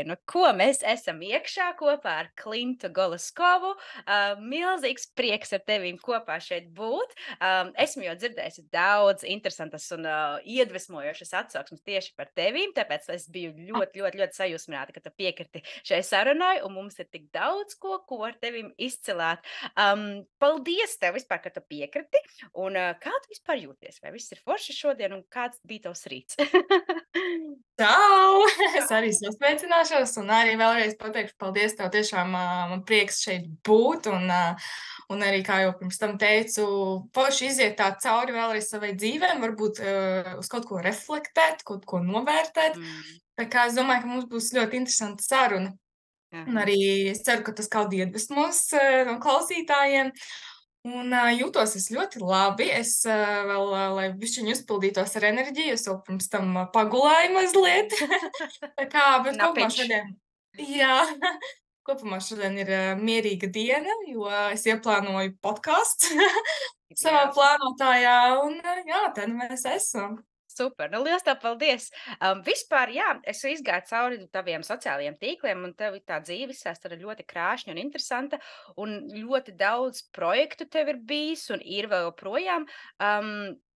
šodienu, ko mēs esam iekšā kopā ar Klintu Golaskovu. Milzīgs prieks ar tevīm kopā šeit būt. Esmu jau dzirdējusi daudz interesantas un iedvesmojošas atsauksmes tieši par tevīm, tāpēc es biju ļoti sajūsmināta, ka tu piekriti šai sarunai, un mums ir tik daudz ko ar tevīm izcilāt. Paldies tev vispār, ka tu piekriti, un kā tu vispār jūties? Vai viss ir forši šodien, un kāds bija tavs rīts? Čau! Es arī sasveicināšos un arī vēlreiz pateikšu paldies tev. Tiešām man prieks šeit būt un arī, kā jau pirms tam teicu, forši iziet tā cauri vēlreiz savai dzīvēm, varbūt uz kaut ko reflektēt, kaut ko novērtēt. Mm. Tā kā es domāju, ka mums būs ļoti interesanta saruna. Un Aha. arī es ceru, ka tas kādu iedvesmos no klausītājiem. Un jūtos es ļoti labi. Es vēl, lai bišķiņ uzpildītos ar enerģiju, es vēl pirms tam pagulēju mazliet. Tā kā, bet kopumā Napiņš. šodien, jā, kopumā šodien ir mierīga diena, jo es ieplānoju podcasts savā Jā. plānotājā, un jā, te nu mēs esam. Super, nu liels tev paldies! Vispār, jā, es izgāju cauri taviem sociālajiem tīkliem, un tev tā dzīves vēsture ir ļoti krāšņa un interesanta, un ļoti daudz projektu tev ir bijis un ir vēl joprojām.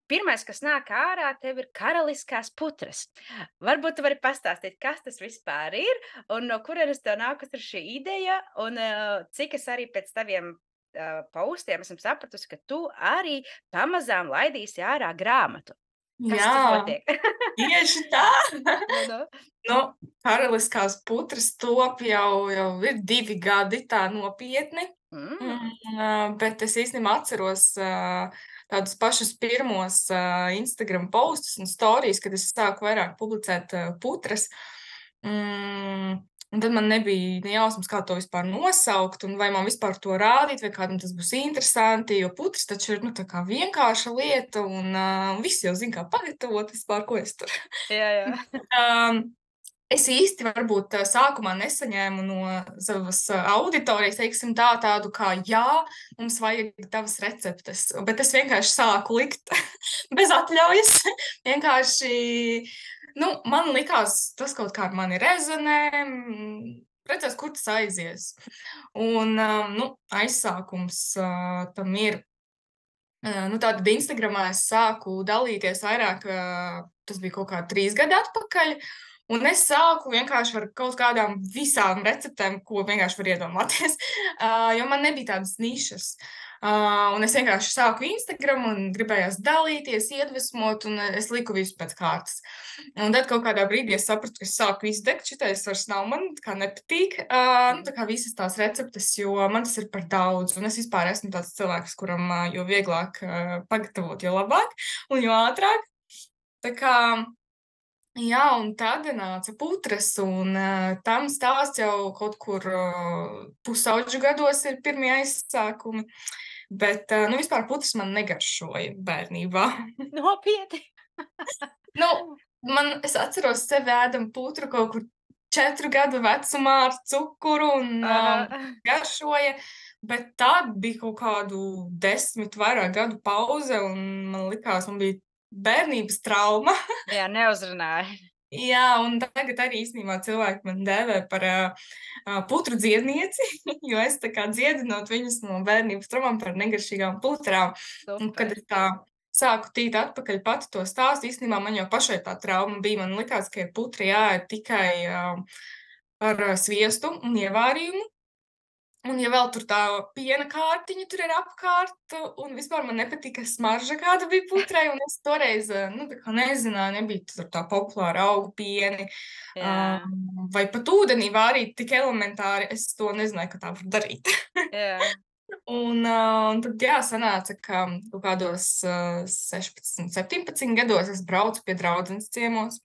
Pirmais, kas nāk ārā, tev ir karaliskās putras. Varbūt tu vari pastāstīt, kas tas vispār ir, un no kurienes tev nākas ar šī ideja, un cik es arī pēc taviem postiem esmu sapratusi, ka tu arī pamazām laidīsi ārā grāmatu. Kas tur Jā, notiek? tieši tā! Nu, nu. Nu, karaliskās putras top jau ir 2 gadi tā nopietni. Mm. Bet es īstenībā atceros tādus pašus pirmos Instagram postus un storijas, kad es sāku vairāk publicēt putras. Un tad man nebija ne jausmas, kā to vispār nosaukt, un vai man vispār to rādīt, vai kādam tas būs interesanti, jo putras taču ir, nu, tā kā vienkārša lieta, un visi jau zina, kā pagatavot vispār, ko es tur. Jā, jā. Um, Es īsti varbūt sākumā nesaņēmu no savas auditorijas, teiksim tā, tādu kā, jā, mums vajag tavas receptes, bet es vienkārši sāku likt bez atļaujas. Vienkārši, nu, man likās, tas kaut kā ar mani rezonē, redzēs, kur tas aizies. Un, nu, aizsākums tam ir. Nu, tātad Instagramā es sāku dalīties vairāk, tas bija kaut kā 3 gadi atpakaļ, un es sāku vienkārši ar kaut kādām visām receptēm, ko vienkārši var iedomāties, jo man nebija tādas nišas. Un es vienkārši sāku Instagram un gribējās dalīties, iedvesmot, un es liku visu pēc kārtas. Un tad kaut kādā brīdī es sapratu, ka es sāku izdegt, šitais vairs nav man, kā nepatīk, nu, tā kā visas tās receptes, jo man tas ir par daudz, un es vispār esmu tāds cilvēks, kuram jo vieglāk pagatavot, jo labāk, un jo ātrāk. Tā kā, jā, un tad nāca putras, un tam stāsts jau kaut kur pusauģu gados ir pirmie aizsākumi, bet, nu, vispār putras man negaršoja bērnībā. Nopietni. Nu, es atceros sevi ēdam putru kaut kur 4 gadu vecumā ar cukuru un Aha. garšoja, bet tad bija kaut kādu 10 vairāk gadu pauze, un man likās, man bija bērnības trauma. Jā, neuzrunāja. Jā, un tagad arī īstenībā cilvēki man dēvē par putru dziednieci, jo es tā kā dziedinot viņus no bērnības traumām par negaršīgām putrām. Un kad Super. es tā sāku tīt atpakaļ pati to stāstu, īstenībā man jau pašai tā trauma bija. Man likās, ka ir putri jāēd tikai ar sviestu un ievārījumu. Un ja vēl tur tā piena kārtiņa tur ir apkārt, un vispār man nepatika smarža, kāda bija putrai, un es toreiz, nu, tā kā nezināju, nebija tur tā populāra augu pieni, Jā, vai pat ūdenī vārīt tik elementāri, es to nezināju, ka tā var darīt. jā. Un tad, jā, sanāca, ka kaut kādos 16, 17 gados es braucu pie draudzenes ciemos.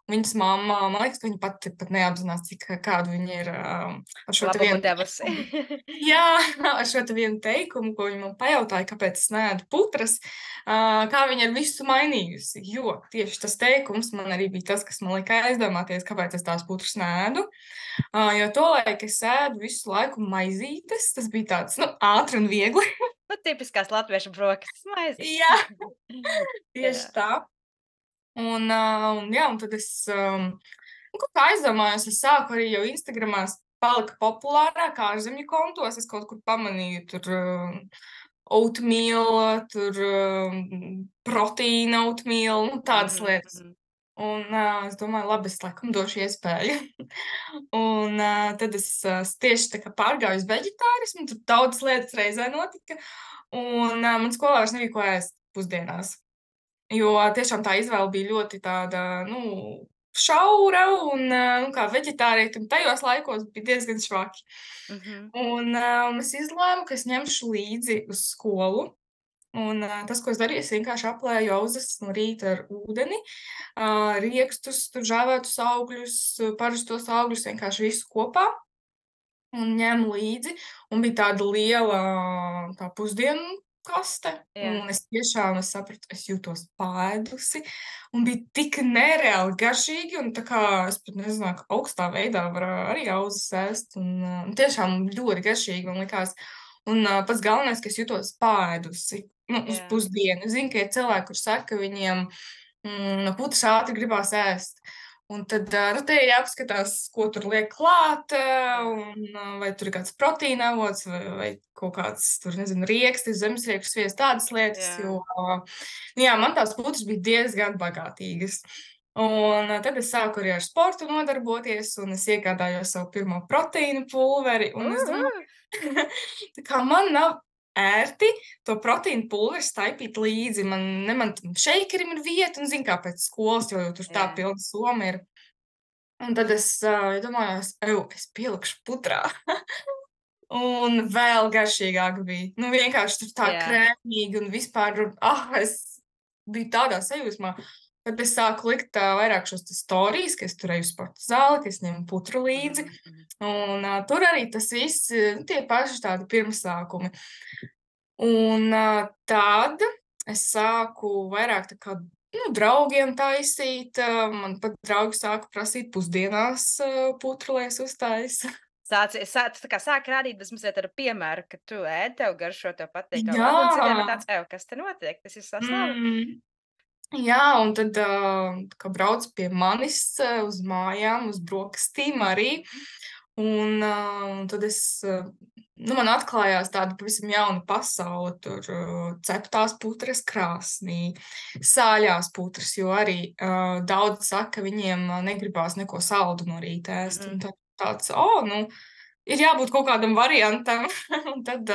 Viņas mamma, man liekas, ka viņa pat neapzinās, cik kādu viņa ir ar šo te Labumu vienu devusi. teikumu. Jā, ar šo te vienu teikumu, ko viņa man pajautāja, kāpēc es neēdu putras, kā viņa ir visu mainījusi. Jo tieši tas teikums man arī bija tas, kas man lika aizdomāties, kāpēc es tās putras neēdu. Jo tolaik es ēdu visu laiku maizītes, tas bija tāds, nu, ātri un viegli. Nu, tipiskās latviešu brokastis maizes. Jā, tieši Jā. tā. Un jā, un tad es Un, kā aizdomājos, es sāku arī jau Instagramā palika populārāk ārzemju kontos. Es kaut kur pamanīju tur oatmeal, tur proteīna oatmeal, nu, tādas lietas. Un es domāju, labi, es laikam došu iespēju. Un tad es tieši tā kā pārgāju uz veģetārismu, tur daudz lietas reizē notika. Un man skolā vairs nebija ko ēst pusdienās. Jo tiešām tā izvēle bija ļoti tāda, nu, šaura un, kā veģetārietim tajos laikos bija diezgan švaki. Un es izlēmu, ka es ņemšu līdzi uz skolu. Un tas, ko es darīju, es vienkārši aplēju auzas no rīta ar ūdeni, riekstus, tur žāvētus augļus, parastos augļus, vienkārši visu kopā un ņēmu līdzi. Un bija tāda liela tā pusdienu kaste, un es tiešām sapratu, es jūtos pāēdusi, un bija tik nereāli garšīgi, un tā kā es pat nezināju, ka augstā veidā var arī auzas ēst, un tiešām ļoti garšīgi man likās. Un pats galvenais, ka es jūtos pāēdusi, nu, uz pusdienu. Zinu, ka ir cilvēki, kurš saka, ka viņiem no putas ātri gribās ēst. Un tad, nu, te ir jāpaskatās, ko tur liek klāt, un vai tur ir kāds proteīna avots, vai kaut kāds, tur, nezinu, riekstis, zemesriekstu sviests, tādas lietas, jo, jā, man tās putas bija diezgan bagātīgas. Un tad es sāku arī ar sportu nodarboties, un es iegādājos savu pirmo proteīnu pulveri, un es domāju, tā kā man nav ērti to proteīnu pulveri staipīt līdzi. Man tam šeikerim ir vieta, un zinu, kā pēc skolas, jo tur tā pilna soma ir. Un tad es domāju, es pielikšu putrā. Un vēl garšīgāk bija. Nu, vienkārši tur tā krēmīgi un vispār, es biju tādā sajūsmā. Tad es sāku likt vairāk šos storijas, ka es turēju sporta zāli, ka es ņemu putru līdzi. Un tur arī tas viss, tie paši tādi pirmsākumi. Un tad es sāku vairāk tā kā, nu, draugiem taisīt. Man pat draugi sāku prasīt pusdienās putru, lai es uztaisu. Sāk rādīt mazliet ar piemēru, ka tu ēd, tev garšo, tev patīk. Un citiem ir tāds, kas te notiek? Tas ir sastāvs. Jā, un tad, kā brauc pie manis uz mājām, uz brokastīm arī, un tad man atklājās tāda pavisam jauna pasaule, tur ceptās putras krāsnī, sāļās putras, jo arī daudz saka, ka viņiem negribās neko saldu no rīta ēst, un tāds, ir jābūt kaut kādam variantam, un tad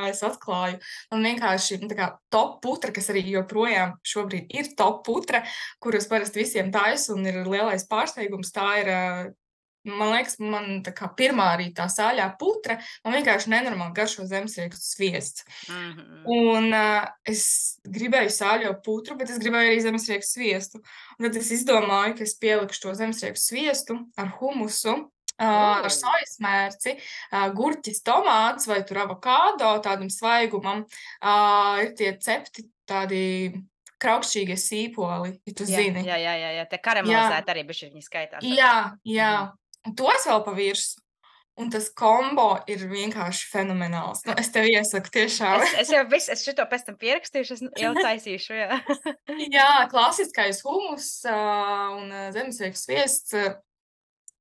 es atklāju. Man vienkārši tā kā top putra, kas arī joprojām šobrīd ir top putra, kuras parasti visiem taisu un ir lielais pārsteigums, tā ir, man liekas, man tā kā pirmā arī tā sāļā putra, man vienkārši nenormāli garšo zemesriekstu sviests. Un es gribēju sāļo putru, bet es gribēju arī zemesriekstu sviestu. Un tad es izdomāju, ka es pielikšu to zemesriekstu sviestu ar humusu, ar sojas mērci, gurķis, tomāts vai tur avokādo tādam svaigumam. Ir tie cepti tādi kraukšķīgie sīpoli, ja tu zini. Jā, te karamelizēti arī bišķi viņi skaitās. Jā. Un to es vēl pa virsu. Un tas kombo ir vienkārši fenomenāls. Nu, es tev iesaku tiešām. Es šito pēc tam pierakstīšu, es jau taisīšu, jā. Jā, klasiskais humus un zemesriekstu sviests.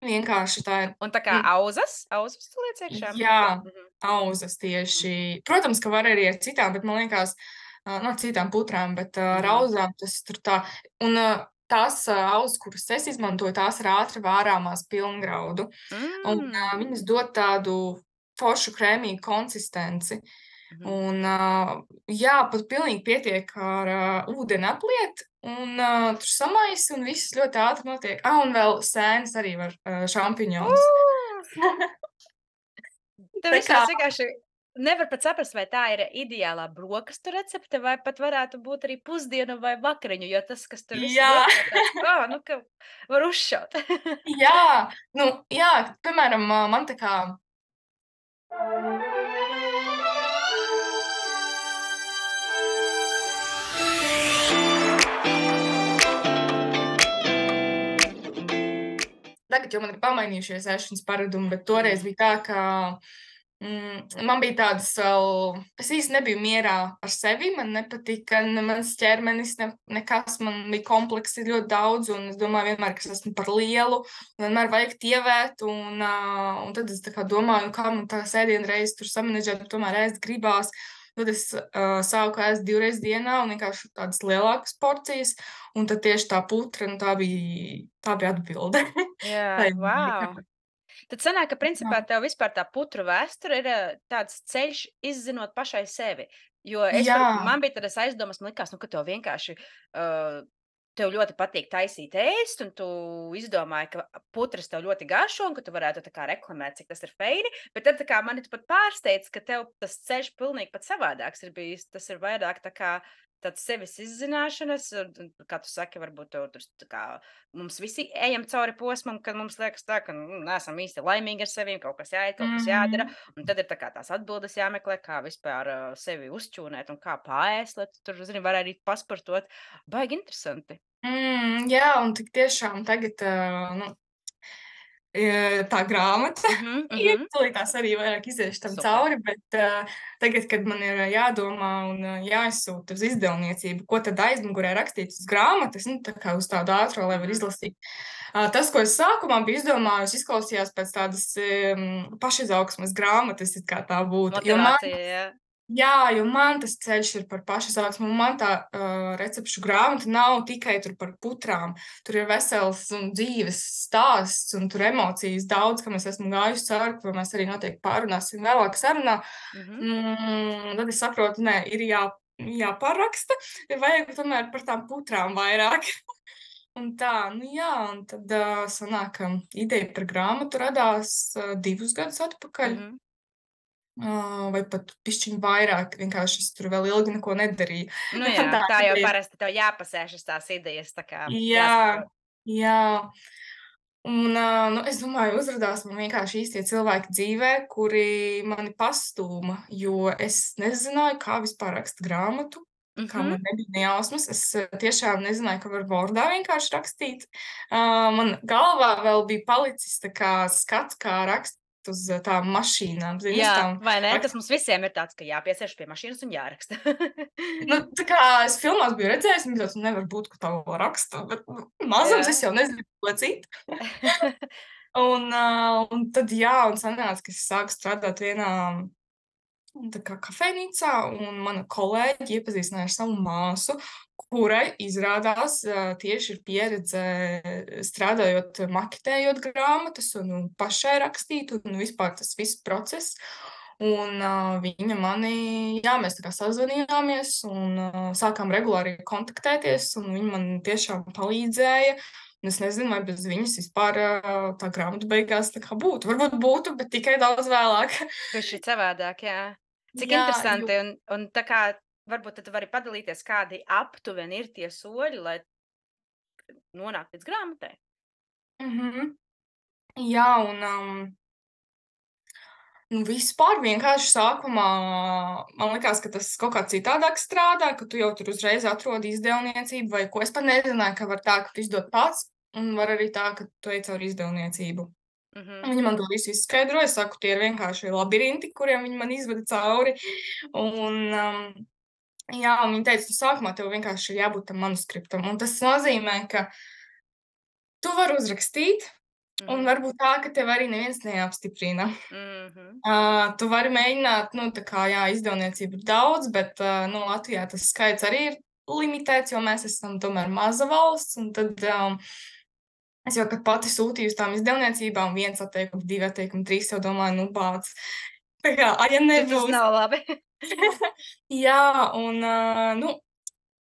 Vienkārši tā ir. Un tā kā auzas tu liec iekšā? Jā, auzas tieši. Protams, ka var arī ar citām, bet man liekas, citām putrām, bet ar auzām tas tur tā. Un tās auzas, kuras es izmantoju, tās ir ātri vārāmās pilngraudu. Un viņas dod tādu foršu krēmīgu konsistenci. Un pat pilnīgi pietiek ar ūdeni apliet, un tur samaisi, un viss ļoti ātri notiek. Un vēl sēnes arī var šampiņons. Tev visās vienkārši nevar pat saprast, vai tā ir ideālā brokastu recepte, vai pat varētu būt arī pusdienu vai vakariņu, jo tas, kas tur viss ir, ka var uzšaut. Jā, piemēram, man tā kā... Tagad jau man ir pamainījušies ēšanas paradumi, bet toreiz bija tā, ka Man bija tādas vēl, es īsti nebiju mierā ar sevi, man nepatika ne mans ķermenis, nekas, man bija kompleksi ļoti daudz, un es domāju vienmēr, ka es esmu par lielu, un vienmēr vajag tievēt, un tad es tā kā domāju, kā man tā sēdienreiz tur samanedžēt, bet tomēr ēst gribās. Tad es sāku ēst 2 reizes dienā un vienkārši tādas lielākas porcijas, un tad tieši tā putra, nu tā bija atbilde. Jā, Tai wow! Tad sanāk, ka jā, principā tev vispār tā putru vēsture ir tāds ceļš izzinot pašai sevi. Jo jā, man bija tādas aizdomas, man likās, nu, ka tev vienkārši, tev ļoti patīk taisīt ēst, un tu izdomāji, ka putras tev ļoti garšo, un ka tu varētu tā kā reklamēt, cik tas ir feini, bet tad tā kā mani tu pat pārsteidz, ka tev tas ceļš pilnīgi pat savādāks ir bijis. Tas ir vairāk tā kā tāds sevis izzināšanas, un kā tu saki, varbūt tev tur tā kā mums visi ejam cauri posmam, kad mums liekas tā, ka, neesam īsti laimīgi ar sevim, kaut kas jāiet, kaut kas jādara, mhm. un tad ir tā kā tās atbildes jāmeklē, kā vispār, sevi uzčūnēt un kā paēst, lai tu tur, zini, var arī pasportot. Baigi interesanti. Jā, un tik tiešām tagad, nu, tā grāmata Mhm, ir, mhm. tūlītās arī vairāk iziešu tam Super. cauri, bet tagad, kad man ir jādomā un jāizsūta uz izdevniecību, ko tad aizmugurē rakstīts uz grāmatas, nu, tā kā uz tādu ātro, lai var Mhm. izlasīt. Tas, ko es sākumā biju izdomājusi, izklausījās pēc tādas pašizaugsmes grāmatas, it kā tā būtu. Jo man Motivācija, jā. Jā, jo man tas ceļš ir par pašizaugsmu, un man tā recepšu grāmata nav tikai tur par putrām. Tur ir vesels un dzīves stāsts, un tur emocijas daudz, kam es esmu gājusi cauri, ko mēs arī noteikti pārunāsim vēlāk sarunā. Mhm, Tad es saprotu, nē, ir jāparaksta, ir vajag tomēr par tām putrām vairāk. Un tā, nu jā, un tad sanāk, ka ideja par grāmatu radās 2 gadus atpakaļ. mhm. Vai pat bišķiņu vairāk, vienkārši es tur vēl ilgi neko nedarīju. Nu jā, Tā tā jau ideja parasti tev jāpasēšas tās idejas, tā kā jā, jāsaprot. jā. Un, nu, es domāju, uzrādās man vienkārši īstie cilvēki dzīvē, kuri mani pastūma, jo es nezināju, kā vispār rakst grāmatu. Tā kā Mhm. man nebija ne jausmas, es tiešām nezināju, ka var Wordā vienkārši rakstīt. Man galvā vēl bija palicis tā kā skats, kā rakst uz tām mašīnām, zini, uz Jā, tām vai ne? Tas rakst mums visiem ir tāds, ka jāpiesēž pie mašīnas un jāraksta. Nu, tā kā es filmās biju redzējis, un tāds, nu, nevar būt, ka tā vēl raksta, bet, nu, mazums Jā. es jau nezinu, ko citu. Un tad, jā, un sanāca, ka es sāku strādāt vienā tā kā kafejnīcā, un mana kolēģi iepazīstināja ar savu māsu, kurai izrādās tieši ir pieredze strādājot, maketējot grāmatas un pašai rakstīt, un vispār tas viss process. Un viņa mani, jā, mēs tā kā sazvanījāmies un sākām regulāri kontaktēties, un viņa man tiešām palīdzēja. Un es nezinu, vai bez viņas vispār tā grāmata beigās tā kā būtu. Varbūt būtu, bet tikai daudz vēlāk. Bišķi savādāk, jā. Cik Jā, jo interesanti, un tā kā varbūt tad tu vari padalīties, kādi aptuveni ir tie soļi, lai nonāktu līdz grāmatai? mhm. Jā, un nu, vispār vienkārši sākumā man likās, ka tas kaut kā citādāk strādā, ka tu jau tur uzreiz atrodi izdevniecību vai ko. Es pat nezināju, ka var tā, ka tu izdod pats, un var arī tā, ka tu ej caur izdevniecību. Mhm. Viņi man to visu izskaidroja. Es saku, tie ir vienkārši labirinti, kuriem viņi man izveda cauri. Un, jā, un viņi teica, tu sākumā tev vienkārši ir jābūt tam manuskriptam. Un tas nozīmē, ka tu vari uzrakstīt, un Mhm. varbūt tā, ka tev arī neviens neapstiprina. Mhm. Tu vari mēģināt, nu, tā kā, jā, izdevniecību ir daudz, bet, nu, Latvijā tas skaits arī ir limitēts, jo mēs esam tomēr maza valsts, un tad, es jau, kad pati sūtīju uz tām izdevniecībām 1 atteikumu, 2 atteikumu, 3 jau domāju, nu, bāc. Tā kā, ja Tas nebūs. nav labi. Jā, un, nu,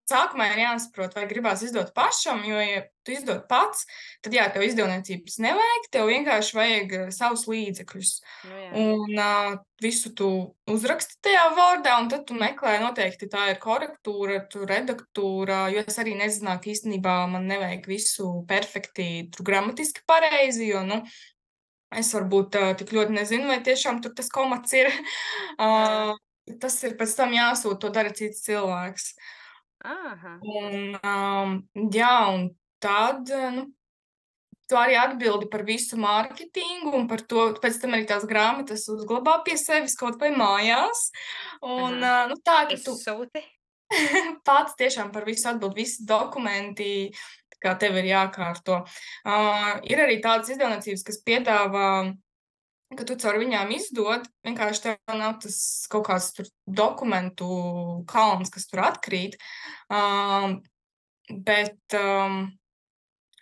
sākumā ir jāsaprot, vai gribās izdot pašam, jo, ja tu izdod pats, tad, jā, tev izdevniecības nevajag, tev vienkārši vajag savus līdzekļus. Nu jā. Un visu tu uzraksti tajā vārdā, un tad tu meklē noteikti tā ir korektūra, tu redaktūra, jo es arī nezināju, ka īstenībā man nevajag visu perfekti, tur gramatiski pareizi, jo, nu, es varbūt tik ļoti nezinu, vai tiešām tur tas komats ir. Jā. Tas ir pēc tam jāsūt, to dara cits cilvēks. Aha. Un, jā, un tad, nu, tu arī atbildi par visu mārketingu un par to, pēc tam arī tās grāmatas uzglabā pie sevis kaut vai mājās. Un, Aha. nu, tā, ka tu Izsūti. pats tiešām par visu atbildi, visi dokumenti, kā tev ir jākārto. Ir arī tādas izdevniecības, kas piedāvā, ka tu caur viņām izdod, vienkārši tev nav tas kaut kāds tur dokumentu kalns, kas tur atkrīt, bet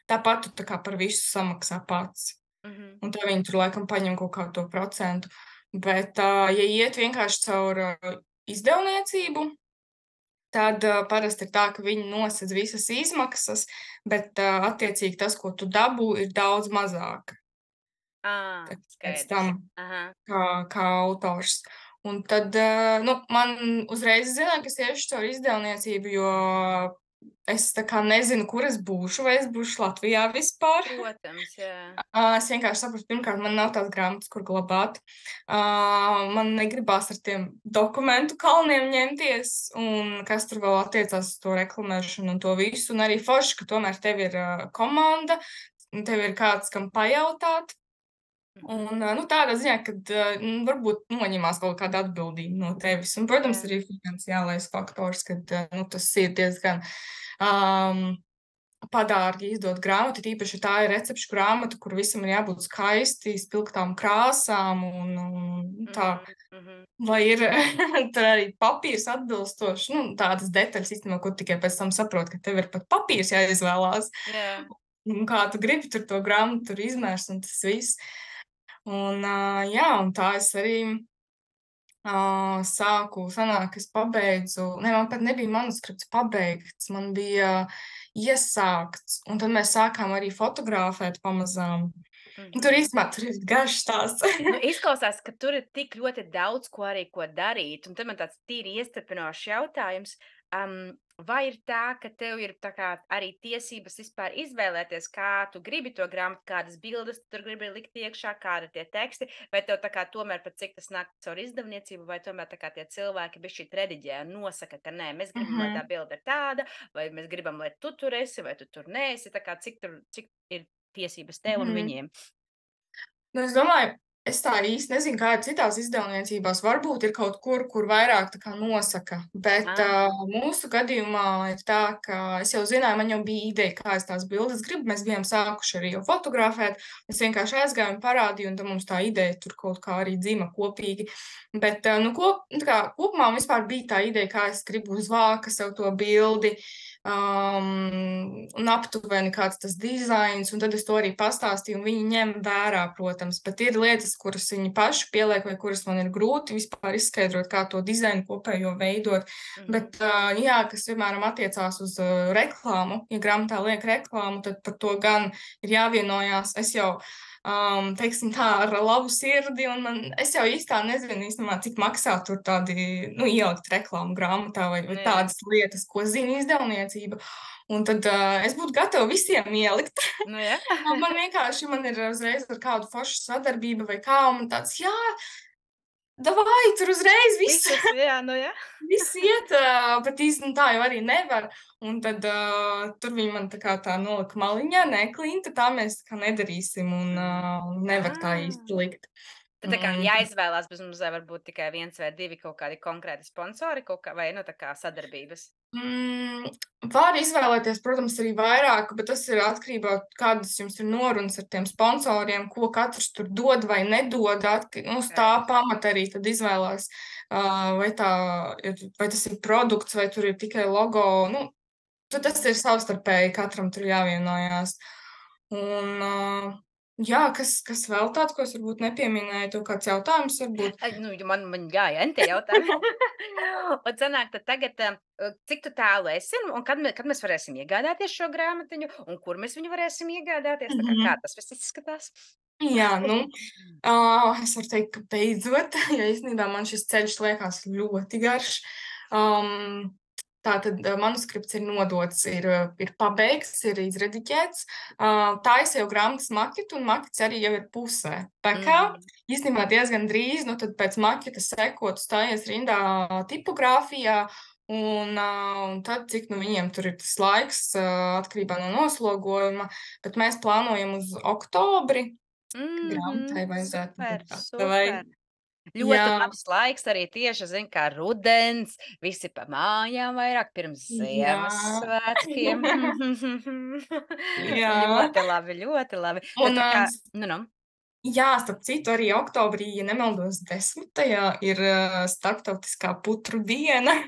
tāpat tu tā kā par visu samaksā pats. Mhm. Un tad viņi tur laikam paņem kaut kādu to procentu. Bet, ja iet vienkārši caur izdevniecību, tad parasti ir tā, ka viņi nosedz visas izmaksas, bet attiecīgi tas, ko tu dabū, ir daudz mazāk pēc tam, Skaidrs. Aha. kā autors. Un tad, nu, man uzreiz zināja, ka es iešu caur izdevniecību, jo es tā kā nezinu, kur es būšu, vai es būšu Latvijā vispār. Protams, jā. Es vienkārši sapratu, pirmkārt, man nav tās grāmatas, kur glabāt. Man negribās ar tiem dokumentu kalniem ņemties, un kas tur vēl attiecās uz to reklamēšanu un to visu. Un arī forši, ka tomēr tev ir komanda, un tev ir kāds, kam pajautāt. Un, nu, tādā ziņā, kad varbūt noņemās kaut kāda atbildība no tevis. Un, protams, Jā. arī finansiālais faktors, kad nu, tas ir diezgan padārgi izdot grāmatu, tīpaši tā ir recepšu grāmata, kur visam ir jābūt skaisti, spilgtām krāsām un tā, lai ir tur arī papīrs atbilstoši, nu, tādas detaļas īstenībā, ko tikai pēc tam saprot, ka tev ir pat papīrs jāizvēlās. Jā. Un kā tu gribi tur to grāmatu tur izmērst un tas viss. Un, jā, un tā es arī sanāk, es pabeidzu, man pat nebija manuskripts pabeigts, man bija iesākts, un tad mēs sākām arī fotografēt pamazām. Tur īstenībā tur ir garš stāsts. Nu, izklausās, ka tur ir tik ļoti daudz ko darīt, un tad man tāds tīri iestrepinošs jautājums. Vai ir tā, ka tev ir tā kā arī tiesības vispār izvēlēties, kā tu gribi to grāmatu, kādas bildes tu tur gribi likt iekšā, kādi ir tie teksti, vai tev tā kā tomēr pat cik tas nāk caur izdevniecību, vai tomēr tā kā tie cilvēki bišķīt rediģē un nosaka, ka nē, mēs gribam, lai tā bilde ir tāda, vai mēs gribam, lai tu tur esi, vai tu tur neesi, tā kā cik ir tiesības tev un viņiem? Nu, es domāju, es tā īsti nezinu, kā ir citās izdevniecībās. Varbūt ir kaut kur vairāk tā kā nosaka, bet mūsu gadījumā ir tā, ka es jau zināju, man jau bija ideja, kā es tās bildes gribu. Mēs bijām sākuši arī jau fotografēt. Es vienkārši aizgāju un parādīju, un tad mums tā ideja tur kaut kā arī dzima kopīgi. Bet, nu, kopumā man vispār bija tā ideja, kā es gribu uz vāka sev to bildi. Un aptuveni kāds tas dizains, un tad es to arī pastāstīju, un viņi ņem vērā, protams, bet ir lietas, kuras viņi paši pieliek, vai kuras man ir grūti vispār izskaidrot, kā to dizainu kopējo veidot, bet, jā, kas, piemēram, attiecās uz reklāmu, ja grāmatā liek reklāmu, tad par to gan ir jāvienojās. Es jau teiksim tā, ar labu sirdi, un es jau īstā nezinu īstenībā, cik maksā tur tādi, nu, ielikt reklāmu grāmatā vai tādas lietas, ko zina izdevniecība. Un tad es būtu gatava visiem ielikt. Nu, jā. Man ir uzreiz ar kādu foršu sadarbību vai kā, un tāds, jā, davai, tur uzreiz viss. Jā, nu jā. Viss iet, bet īsti tā jau arī nevar. Un tad tur viņi man tā nolika maliņā, nē, Klinta, tā mēs tā kā nedarīsim un nevar tā īsti likt. Tad tā kā jāizvēlās, bet mums varbūt tikai 1 vai 2 kaut kādi konkrēti sponsori vai, nu, tā kā sadarbības? Var izvēlēties, protams, arī vairāk, bet tas ir atkarībā, kādas jums ir norunas ar tiem sponsoriem, ko katrs tur dod vai nedod. Uz tā pamata arī tad izvēlās, vai tas ir produkts, vai tur ir tikai logo. Nu, tas ir savstarpēji, katram tur jāvienojās. Un, jā, kas vēl tāds, ko es varbūt nepieminēju, tev kāds jautājums varbūt? Nu, man gāja entie jautājumi. Un sanāk, tad tagad, cik tu tālu esi, un kad mēs varēsim iegādāties šo grāmatiņu, un kur mēs viņu varēsim iegādāties? Tā kā tas viss izskatās? Jā, nu, es varu teikt, ka beidzot, jo īstenībā man šis ceļš liekas ļoti garš. Tātad manuskripts ir nodots, ir pabeigts, ir izrediģēts. Taisa jau grāmatas maketu, un makets arī jau ir pusē. Tā kā īstenībā diezgan drīz, nu tad pēc maketas sekot stājies rindā tipogrāfijā, Un tad, cik nu viņiem tur ir tas laiks, atkarībā no noslogojuma, bet mēs plānojam uz oktobri, ka grāmatai vajadzētu Super, būt gatavai. super. Ļoti Jā, labs laiks arī tieši, zin, kā rudens, visi pa mājām vairāk pirms jā, Ziemassvētkiem. jā. Ļoti labi, ļoti labi. Nu, Un, tā kā, s nu. jā, starp citu, arī oktobrī, ja nemaldos, 10. ir, starptautiskā putru diena.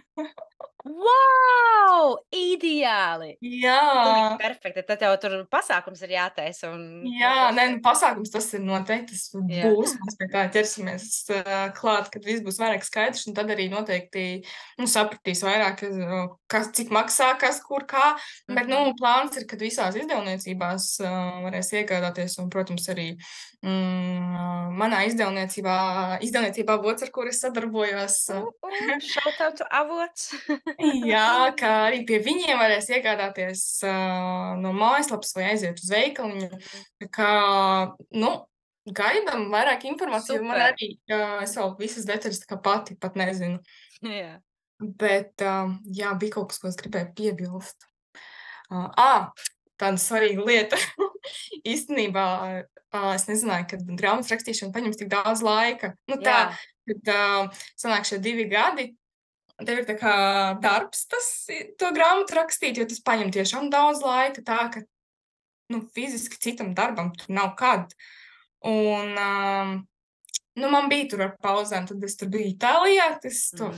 Wow! Ideāli! Pilnīgi Jā. perfekti. Tad jau tur pasākums ir jātaisa un Jā, nē, nu, pasākums tas ir noteikti, tas jā. būs. Mēs pie tā ķersimies klāt, kad viss būs vairāk skaidrs, un tad arī noteikti, nu, sapratīs vairāk, kas, cik maksā, kas, kur, kā. Bet, nu, plāns ir, kad visās izdevniecībās varēs iegādāties, un, protams, arī manā izdevniecībā Vots, ar kur es sadarbojos, Shout out to avots. jā, kā arī pie viņiem varēs iegādāties no mājaslapas vai aiziet uz veikaliņu. Mhm. Tā kā, nu, gaidām vairāk informāciju. Man Super. arī, es vēl visas detaļas tā kā pati pat nezinu. Jā. Bet, jā, bija kaut kas, ko es gribēju piebilst. Tāda svarīga lieta. Īstenībā, es nezināju, ka grāmatas rakstīšana paņems tik daudz laika. Nu, tā, Jā. kad sanāk šie 2 gadi, tev ir tā kā darbs to grāmatu rakstīt, jo tas paņem tiešām daudz laika, tā ka, nu, fiziski citam darbam tur nav kad. Un, nu, man bija tur ar pauzēm, tad es tur biju Itālijā,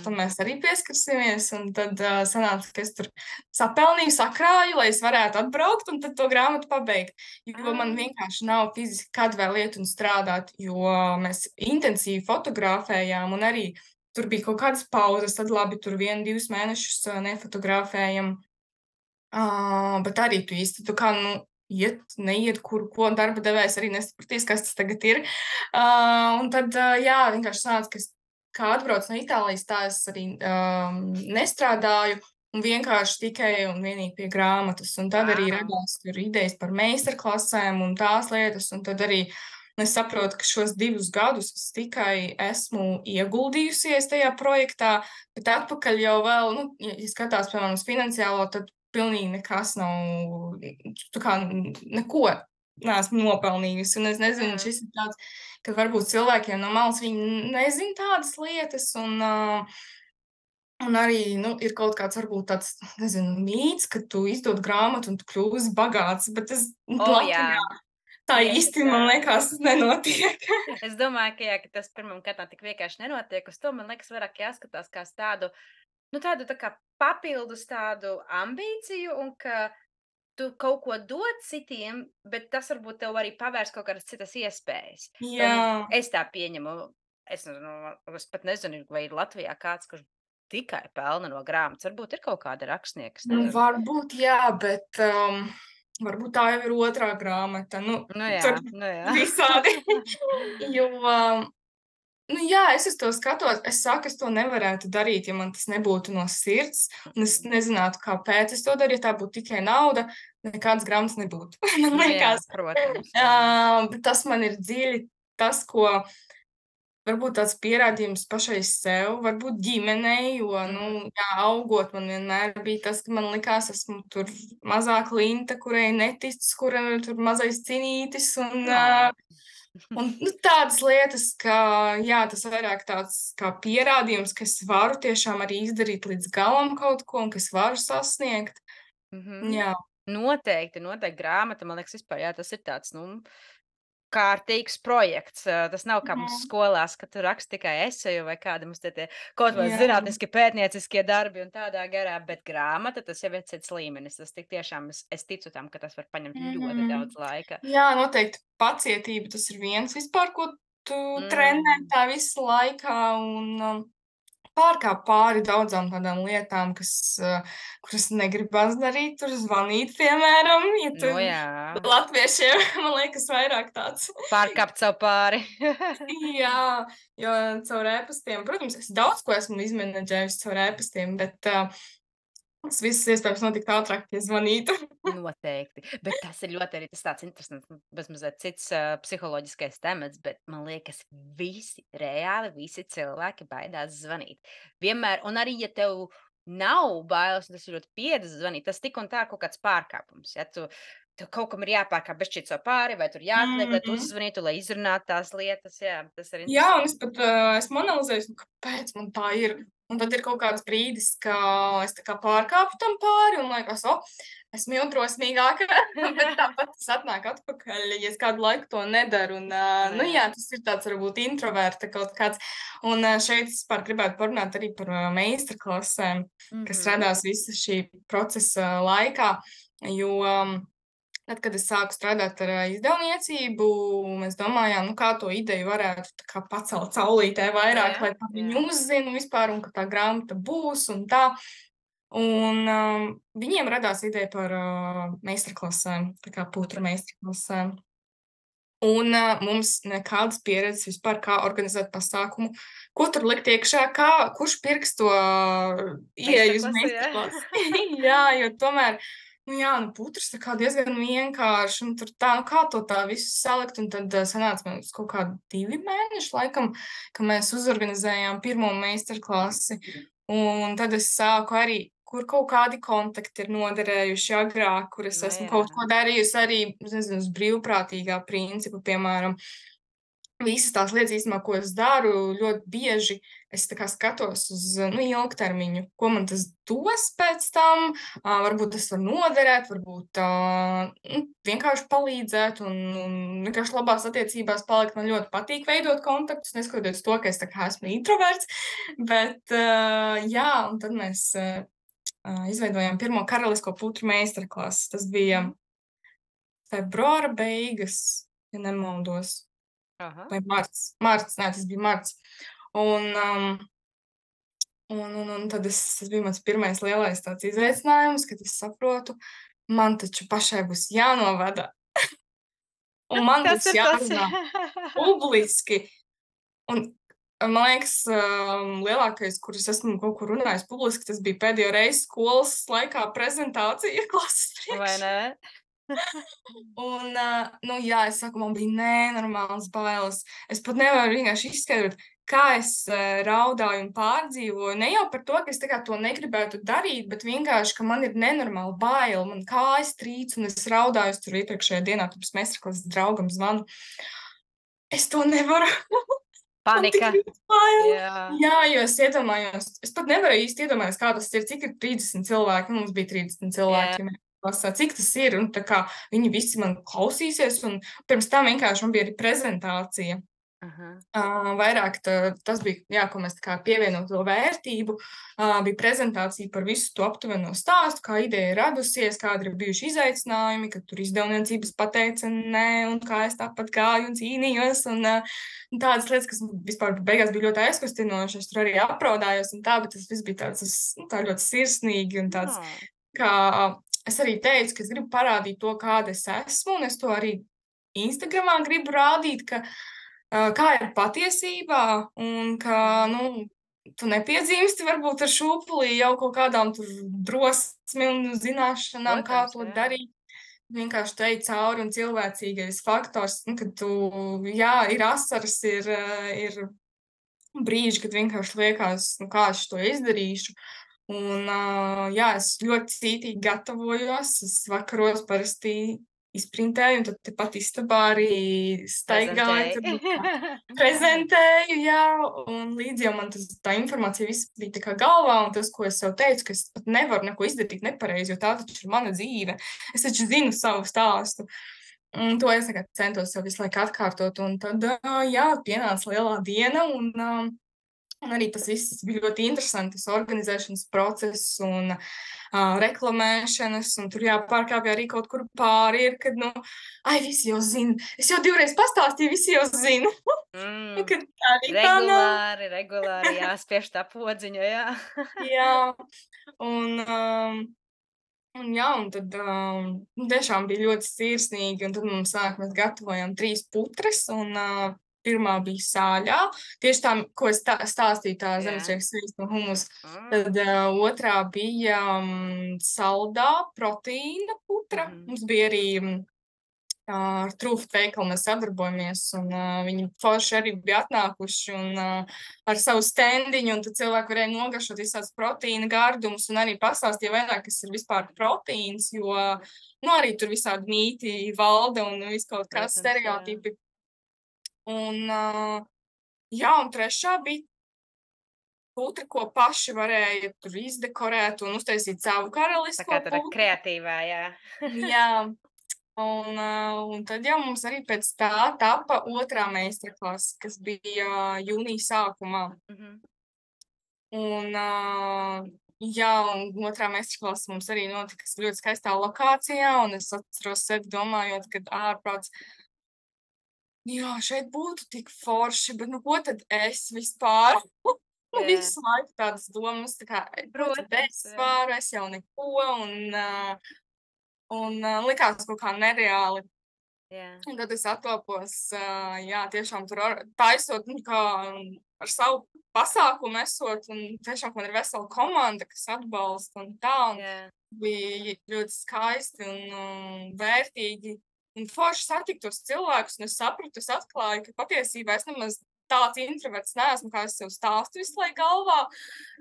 tam mēs arī pieskarsimies, un tad sanāca, ka es tur sapelnīju, sakrāju, lai es varētu atbraukt un tad to grāmatu pabeigt. Jo man vienkārši nav fiziski kad vēl iet un strādāt, jo mēs intensīvi fotografējām un arī tur bija kaut kādas pauzes, tad labi, tur 1-2 mēnešus nefotografējam. Bet arī tu īsti, tu kā, nu, neiet, ko darba devējs arī nesapratīs, kas tas tagad ir. Un tad, jā, vienkārši sanāca, ka es, kā atbraucu no Itālijas, tā es arī nestrādāju un vienkārši tikai un vienīgi pie grāmatas. Un tad arī radās tur idejas par meistarklasēm un tās lietas, un tad arī es saprotu, ka šos 2 gadus es tikai esmu ieguldījusies tajā projektā, bet atpakaļ jau vēl, nu, ja skatās, piemēram, uz finansiālo, tad pilnīgi nekas nav, tā kā neko neesmu nopelnījusi. Un es nezinu, šis ir tāds, ka varbūt cilvēkiem no malas viņi nezin tādas lietas, un arī, nu, ir kaut kāds varbūt tāds, nezinu, mīts, ka tu izdod grāmatu un tu kļūsi bagāts, bet es Jā. Latvijā tā Tieši īsti, tā. man liekas, nenotiek. Es domāju, ka, jā, ka tas pirmam kārtām tik vienkārši nenotiek. Uz to, man liekas, vairāk jāskatās kā uz tādu, nu, tādu tā kā papildus tādu ambīciju, un ka tu kaut ko dod citiem, bet tas varbūt tev arī pavērs kaut kādas citas iespējas. Jā. Es tā pieņemu. Es pat nezinu, vai ir Latvijā kāds, kurš tikai pelna no grāmatas. Varbūt ir kaut kāda rakstnieka. es Nu, nezinu. varbūt, jā, bet varbūt tā jau ir otrā grāmata. Nu, Nu jā, tur nu jā. visādi. Jo, nu jā, es uz to skatos. Es saku, es to nevarētu darīt, ja man tas nebūtu no sirds. Un es nezinātu, kāpēc es to daru. Ja tā būtu tikai nauda, nekādas grāmatas nebūtu. Man Nu jā, liekas, protams. bet tas man ir dziļi tas, ko varbūt tāds pierādījums pašai sev, varbūt ģimenei, jo, nu, jā, augot, man vienmēr bija tas, ka man likās, esmu tur mazā klinta, kurai netic, kura tur mazais cinītis, un nu, tādas lietas, ka, jā, tas vairāk tāds kā pierādījums, ka es varu tiešām arī izdarīt līdz galam kaut ko, un ka es varu sasniegt. Jā. Noteikti grāmata, man liekas, vispār, jā, tas ir tāds, nu, kārtīgs projekts. Tas nav kā mums skolās, ka tu raksti tikai eseju vai kādi mums tie kaut vai Jā. zinātniski pētnieciskie darbi un tādā garā, bet grāmata, tas jau ir cits līmenis. Tas tik tiešām, es ticu tam, ka tas var paņemt ļoti daudz laika. Jā, noteikti pacietība tas ir viens vispār, ko tu trenē tā visa laikā, un pārkāpt pāri daudzām tādām lietām, kuras negribas darīt, tur zvanīt, piemēram, ja tu Nu jā, latviešiem, man liekas, vairāk tāds. pārkāpt sev pāri. Jā, jo caur ēpastiem, protams, es daudz ko esmu izmenedžējusi caur ēpastiem, bet tas viss iespējams notikt ātrāk, ja zvanītu. Noteikti. Bet tas ir ļoti arī tas tāds interesants, bezmazliet cits psiholoģiskais temats, bet man liekas, visi reāli, visi cilvēki baidās zvanīt. Vienmēr, un arī, ja tev nav bailes, un tas ir ļoti piedzvanīt. Tas tik un tā kaut kāds pārkāpums. Ja tu kaut kam ir jāpārkāp bezšķiet savu pāri, vai tur jāatliek, lai tu Mhm. uzzvanītu, lai izrunātu tās lietas. Jā, tas ir Jā, un interesanti. es pat esmu analizējusi, nu, kāpēc man tā ir. Un tad ir kaut kāds brīdis, ka es tā kā pārkāpu tam pāri un liekas, esmu jau drosmīgāka, bet tāpat tas atnāk atpakaļ, ja es kādu laiku to nedaru. Un, nu jā, tas ir tāds varbūt introverta kaut kāds. Un šeit es par gribētu parunāt arī par meistarklasēm, kas radās visa šī procesa laikā, jo tad, kad es sāku strādāt ar izdevniecību, mēs domājām, nu, kā to ideju varētu tā kā pacelt saulītē vairāk, lai par viņu uzzinu vispār, un ka tā grāmata būs un tā. Un viņiem radās ideja par meistarklasēm, tā kā putra meistarklasēm. Un mums nekādas pieredzes vispār, kā organizēt pasākumu, ko tur likt iekšā, kurš pirks to ieeju uz Meistarklase, jā. meistarklasi. Jā, jo tomēr, nu jā, nu putrs tā kā diezgan vienkārši, un tur tā, nu kā to tā visu salikt, un tad sanāca mums kaut kādi 2 mēneši laikam, ka mēs uzorganizējām pirmo meistarklasi, un tad es sāku arī, kur kaut kādi kontakti ir noderējuši agrāk, kur es Nu esmu jā. kaut ko darījusi arī, nezinu, uz brīvprātīgā principa, piemēram. Visas tās lietas īstenībā, ko es daru, ļoti bieži es tā kā skatos uz, nu, ilgtermiņu, ko man tas dos pēc tam, varbūt tas var noderēt, varbūt nu, vienkārši palīdzēt un vienkārši labās attiecībās palikt. Man ļoti patīk veidot kontaktus, neskatoties to, ka es tā kā esmu introverts, bet jā, un tad mēs izveidojām pirmo karalisko putru meistarklasi. Tas bija februāra beigas, ja nemaldos. Aha. Vai marts? Marts, nē, tas bija marts. Un tad tas bija mans pirmais lielais tāds izaicinājums, kad es saprotu, man taču pašai būs jānovada. Un man Tas būs ir tas. jārunā publiski. Un man liekas, lielākais, kur es esmu kaut kur runājis publiski, tas bija pēdējo reizi skolas laikā prezentācija klases Vai priekšā. ne? Un, nu jā, es saku, man bija nenormāls bailes. Es pat nevaru vienkārši izskaidrot, kā es raudāju un pārdzīvoju. Ne jau par to, ka es tā kā to negribētu darīt, bet vienkārši, ka man ir nenormāla baila. Man kājas trīc un es raudāju. Es tur iepriekšējā dienā pirms meistarklases draugam zvanu. Es to nevaru. Man tik Panika. ļoti bail. Jā. Jā, jo es iedomājos, es pat nevaru īsti iedomāties, kā tas ir, cik ir 30 cilvēki. Mums bija 30 cilvēki. Ja cik tas ir, un tā kā viņi visi man klausīsies, un pirms tam vienkārši man bija arī prezentācija. Vairāk tas bija, jā, ko mēs tā kā pievienot to vērtību, bija prezentācija par visu to aptuveno stāstu, kā ideja radusies, kādi ir bijuši izaicinājumi, kad tur izdevniecības pateica nē, un kā es tāpat gāju un cīnījos, un tādas lietas, kas vispār beigās bija ļoti aizkustinoši, es tur arī apraudājos un tā, bet tas viss bija tāds, tā ļoti sirsnīgi un tāds, kā es arī teicu, ka es gribu parādīt to, kāda es esmu, un es to arī Instagramā gribu rādīt, ka kā ir patiesībā, un ka, nu, tu nepiedzimsti varbūt ar šūpulī jau kaut kādām tur drosmi un zināšanām, kā to darīt. Vienkārši te cauri un cilvēcīgais faktors, nu, kad tu, jā, ir asaras, ir brīži, kad vienkārši liekas, nu, kā es to izdarīšu. Un, jā, es ļoti cītīgi gatavojos, es vakaros parasti izprintēju, un tad tepat istabā arī staigāju, prezentēju, jā, un līdz jau man tā informācija viss bija tā kā galvā, un tas, ko es sev teicu, ka es pat nevaru neko izdarīt nepareizi, jo tā taču ir mana dzīve. Es taču zinu savu stāstu. Un to es tagad centos sev visu laiku atkārtot, un tad, jā, pienāca lielā diena, un arī tas viss bija ļoti interesanti, tas organizēšanas process un reklamēšanas, un tur jāpārkāpj arī kaut kur pāri ir, kad, nu, visi jau zina. Es jau 2 reizes pastāstīju, visi jau zina. Kad tā arī tā nav. Regulāri jāspiež tā podziņa, jā. Jā, un jā, un tad tiešām bija ļoti sirsnīgi, un tad mums mēs gatavojām 3 putras, un pirmā bija sāļā, tieši tā, ko es stāstīju, tā zemesrieks svīsts no humus. Tad otrā bija saldā proteīna putra. Mums bija arī ar Trūft veikalu mēs sadarbojamies, un viņi forši arī bija atnākuši un ar savu standiņu, un tad cilvēki varēja nogaršot visāds proteīna gardumus un arī pastāstīja vairāk, kas ir vispār proteīns, jo, nu, arī tur visādi mīti valda un viss kaut kāds Protams, jā. stereotipi. Un, jā, un trešā bija putra, ko paši varēja tur izdekorēt un uztaisīt savu Tā karalisko kā tāda putru. kreatīvā, jā. Jā, un tad jau mums arī pēc tā tapa otrā meistarklase, kas bija jūnija sākumā. Mhm. Un, jā, un otrā meistarklase mums arī notika ļoti skaistā lokācijā, un es atceros sevi domājot, kad ārprāts, jā, šeit būtu tik forši, bet nu ko tad es vispār? Nu, Jā. visu laiku tādas domas, tā kā, ko tad Protams, es jā. varu, es jau neko, un likās kaut kā nereāli. Jā. Un tad es atlapos, jā, tiešām tur taisot, nu, kā ar savu pasākumu esot, un tiešām man ir vesela komanda, kas atbalsta un tā, un Jā. bija ļoti skaisti un vērtīgi. Un forši satikt tos cilvēkus, un es sapratu, es atklāju, ka patiesībā es nemaz tāds introverts neesmu, kā es sev stāstu visu laiku galvā,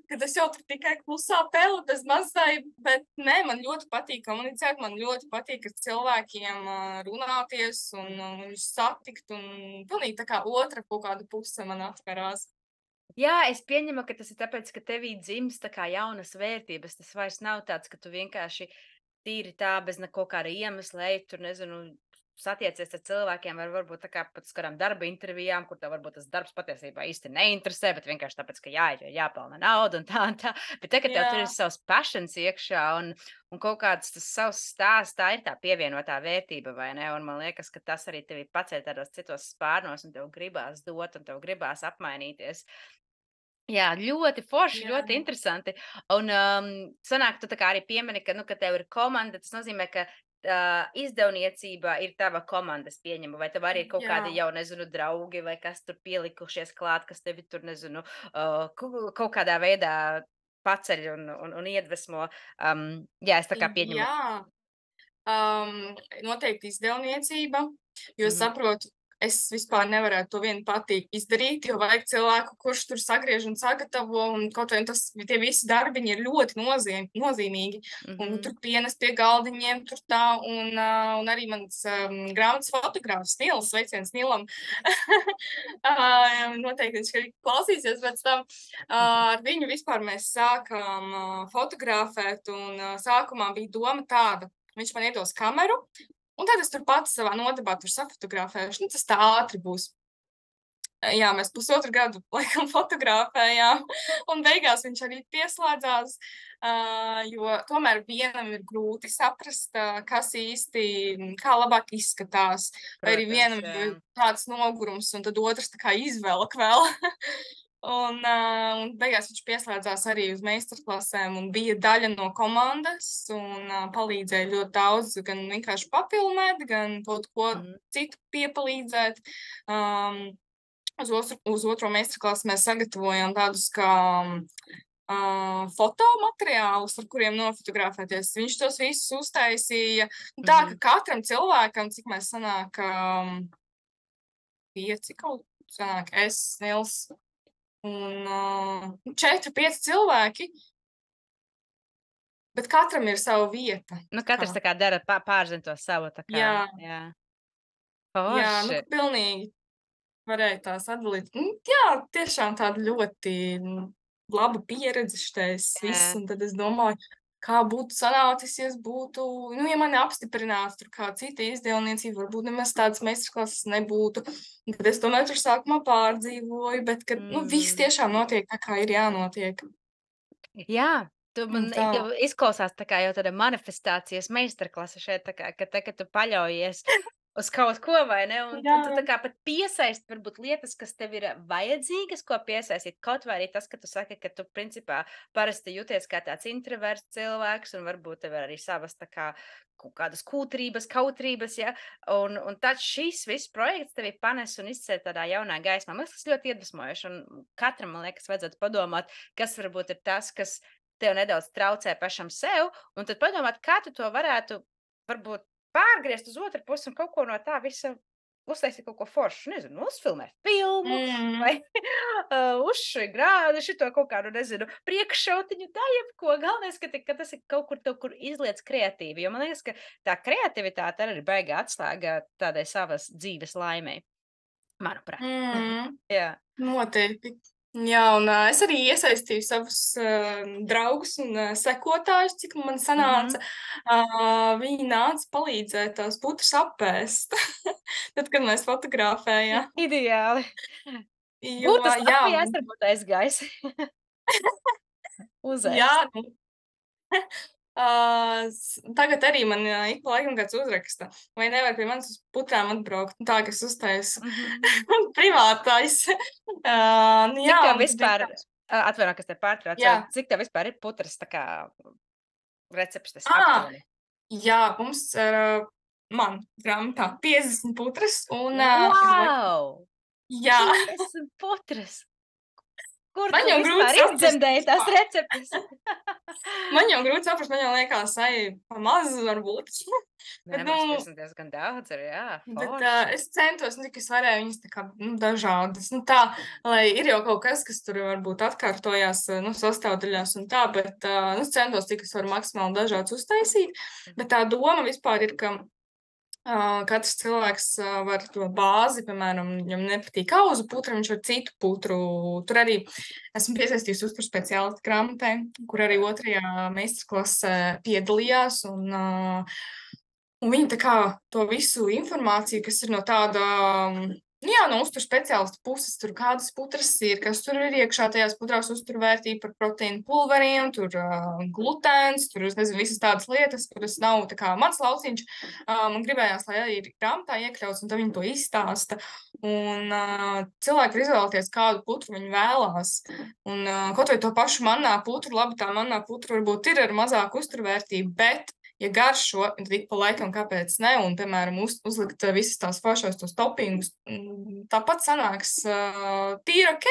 kad es jau tur tikai klusā peli bez mazai, bet nē, man ļoti patīk komunicēt, man ļoti patīk ar cilvēkiem runāties un viņus satikt, un pilnīgi tā kā otra kaut kāda puse man atverās. Jā, es pieņemu, ka tas ir tāpēc, ka tevī dzimst tā kā jaunas vērtības. Tas vairs nav tāds, ka tu vienkārši tīri tā bez neko kāda iemesla ej, tur nezinu, satiecies ar cilvēkiem, vai varbūt tā kā pat uz kādām darba intervijām, kur tev varbūt tas darbs patiesībā īsti neinteresē, bet vienkārši tāpēc, ka jāiet, jo jāpelna nauda un tā un tā. Bet te, ka tev tur ir Jā, savs passions iekšā un kaut kāds tas savs stāsts, tā ir tā pievienotā vērtība, vai ne? Un man liekas, ka tas arī tevi paceļ tādos citos spārnos, un tev gribās dot, un tev gribās apmainīties. Jā, ļoti forši, jā, ļoti interesanti. Un, sanāk, tu tā kā arī piemini, ka, nu, ka tev ir komanda, tas nozīmē, ka izdevniecība ir tava komanda, es pieņemu, vai tev arī ir kaut jā. kādi jau, nezinu, draugi, vai kas tur pielikušies klāt, kas tevi tur, nezinu, kaut kādā veidā paceļ un iedvesmo. Jā, es tā kā pieņemu. Jā, noteikti izdevniecība, jo Mhm, saprotu, es vispār nevarētu to vien pati izdarīt, jo vajag cilvēku, kurš tur sagriež un sagatavo, un kaut vai tas, tie visi darbiņi ir ļoti nozīmīgi, un mhm, tur pienes pie galdiņiem, tur tā, un arī mans grāmatas fotogrāfs Nils, sveiciens Nilam, noteikti viņš arī klausīsies pēc tam, mhm, ar viņu vispār mēs sākām fotografēt, un sākumā bija doma tāda, viņš man iedos kameru, un tad es tur pati savā nodabā tur safotografēšu. Nu, tas tā ātri būs. Jā, mēs pusotru gadu laikam fotografējām, un beigās viņš arī pieslēdzās, jo tomēr vienam ir grūti saprast, kas īsti, kā labāk izskatās, vai arī protams, vienam jā. ir tāds nogurums, un tad otrs tā kā izvelk vēl. Un beigās viņš pieslēdzās arī uz meistarklasēm un bija daļa no komandas un palīdzēja ļoti daudz, gan vienkārši papilnēt, gan kaut ko Mhm, citu piepalīdzēt. Um, uz otro meistarklasi mēs sagatavojam tādus kā fotomateriālus, ar kuriem nofotografēties. Viņš tos visus uztaisīja. Tā, mhm. ka katram cilvēkam, cik mēs sanākam, 5 kaut sanāk, es, Nils, un 4, 5 cilvēki, bet katram ir sava vieta. Nu, Tā katrs kā, tā kā dara pārzina to savu, tā kā, jā, jā. jā, nu, Forši. ka pilnīgi varēja tās atdalīt. Jā, tiešām tāda ļoti laba pieredze šitais viss, Jā. un tad es domāju, kā būtu sanācis, ja es būtu, nu, ja mani apstiprinātu tur kā cita izdevniecība, varbūt nemaz tādas meistarklases nebūtu. Un tad es tomēr tur sākumā pārdzīvoju, bet, kad, nu, viss Mhm. tiešām notiek tā, kā ir jānotiek. Jā, tu Un man tā. jau izklausās tā kā jau tāda manifestācijas meistarklase šeit, tā kā, ka te, ka tu paļaujies uz kaut ko, vai ne? Un tu tā Jā, kā pat piesaisti varbūt lietas, kas tev ir vajadzīgas, ko piesaistīt. Kaut vai arī tas, ka tu saki, ka tu principā parasti jūties kā tāds introverts cilvēks, un varbūt tev ir arī savas tā kā kaut kādas kūtrības, kautrības, ja? Un tad šis viss projekts tevi panes un izceļ tādā jaunā gaismā. Man liekas, tas ļoti iedvesmojoši, un katram, man liekas, vajadzētu padomāt, kas varbūt ir tas, kas tev nedaudz traucē pašam sev, un tad padomāt, kā tu to varētu varbūt pārgriezt uz otru pusi un kaut ko no tā visa uztaisīt kaut ko foršu, nezinu, uzfilmēt filmu vai uzšķi šito kaut kādu, nezinu, priekššautiņu, tā jebko. Galvenais, ka tas ir kaut kur izliec kreatīvi, jo man liekas, ka tā kreativitāte arī ir baigā atslēga tādai savas dzīves laimei, manuprāt. Jā. Noteikti. Jā, un es arī iesaistīju savus draugus un sekotājus, cik man sanāca. Viņi nāca palīdzēt tās putras apēst, tad, kad mēs fotografējām. Ideāli. Jo, Būtu jā, apjēst, varbūt aizgājis. Uzēst. jā, nu, tagad arī man ik pa laikam kāds uzraksta, vai nevar pie manis uz putrām atbraukt, tā, ka es uztaisu privātais. Nu, Cik jā, tev un tad vispār, vienkārši- atvaino, kas te pārtrauc, Jā. cik tev vispār ir putras tā kā receptes Ā! aptuveni? Jā, mums man grāmatā 50 putras un Wow! jā, 50 putras! Kur Man tu jau grūti vispār saprast izdzemdēji tās vispār. receptes? man jau grūti saprast, man jau liekas, pa maz varbūt. Nē, Bet, man nu, 50 diezgan daudz ir, jā, Bet forši. es centos, cik es varēju viņas tā kā dažādas. Nu, tā, lai ir jau kaut kas tur varbūt atkārtojās sastāvdaļās un tā, bet es centos, cik es varu maksimāli dažādas uztaisīt. Bet tā doma vispār ir, ka katrs cilvēks var to bāzi, piemēram, viņam nepatīk auzu putra, viņš var citu putru. Tur arī esmu piesaistījusi uzturu speciālistu grāmatai, kur arī 2. meistarklasē piedalījās. Un viņi tā kā to visu informāciju, kas ir no tāda, no uzturu speciālista puses, tur kādas putras ir, kas tur ir iekšā tajās putrās uzturvērtība par proteīnu pulveriem, tur glutēns, tur, es nezinu, visas tādas lietas, kuras nav tā kā mans lauciņš. Man gribējās, lai arī ir grāmatā iekļauts, un tad viņi to izstāsta. Un cilvēki var izvēlēties, kādu putru viņi vēlās. Un kaut vai to pašu mannā putru, labi, tā mannā putra varbūt ir ar mazāku uzturvērtību, bet ja garšo, tad ik pa laikam kāpēc ne, un, piemēram, uzlikt visas tās foršos tos topingus, tāpat sanāks tīri ok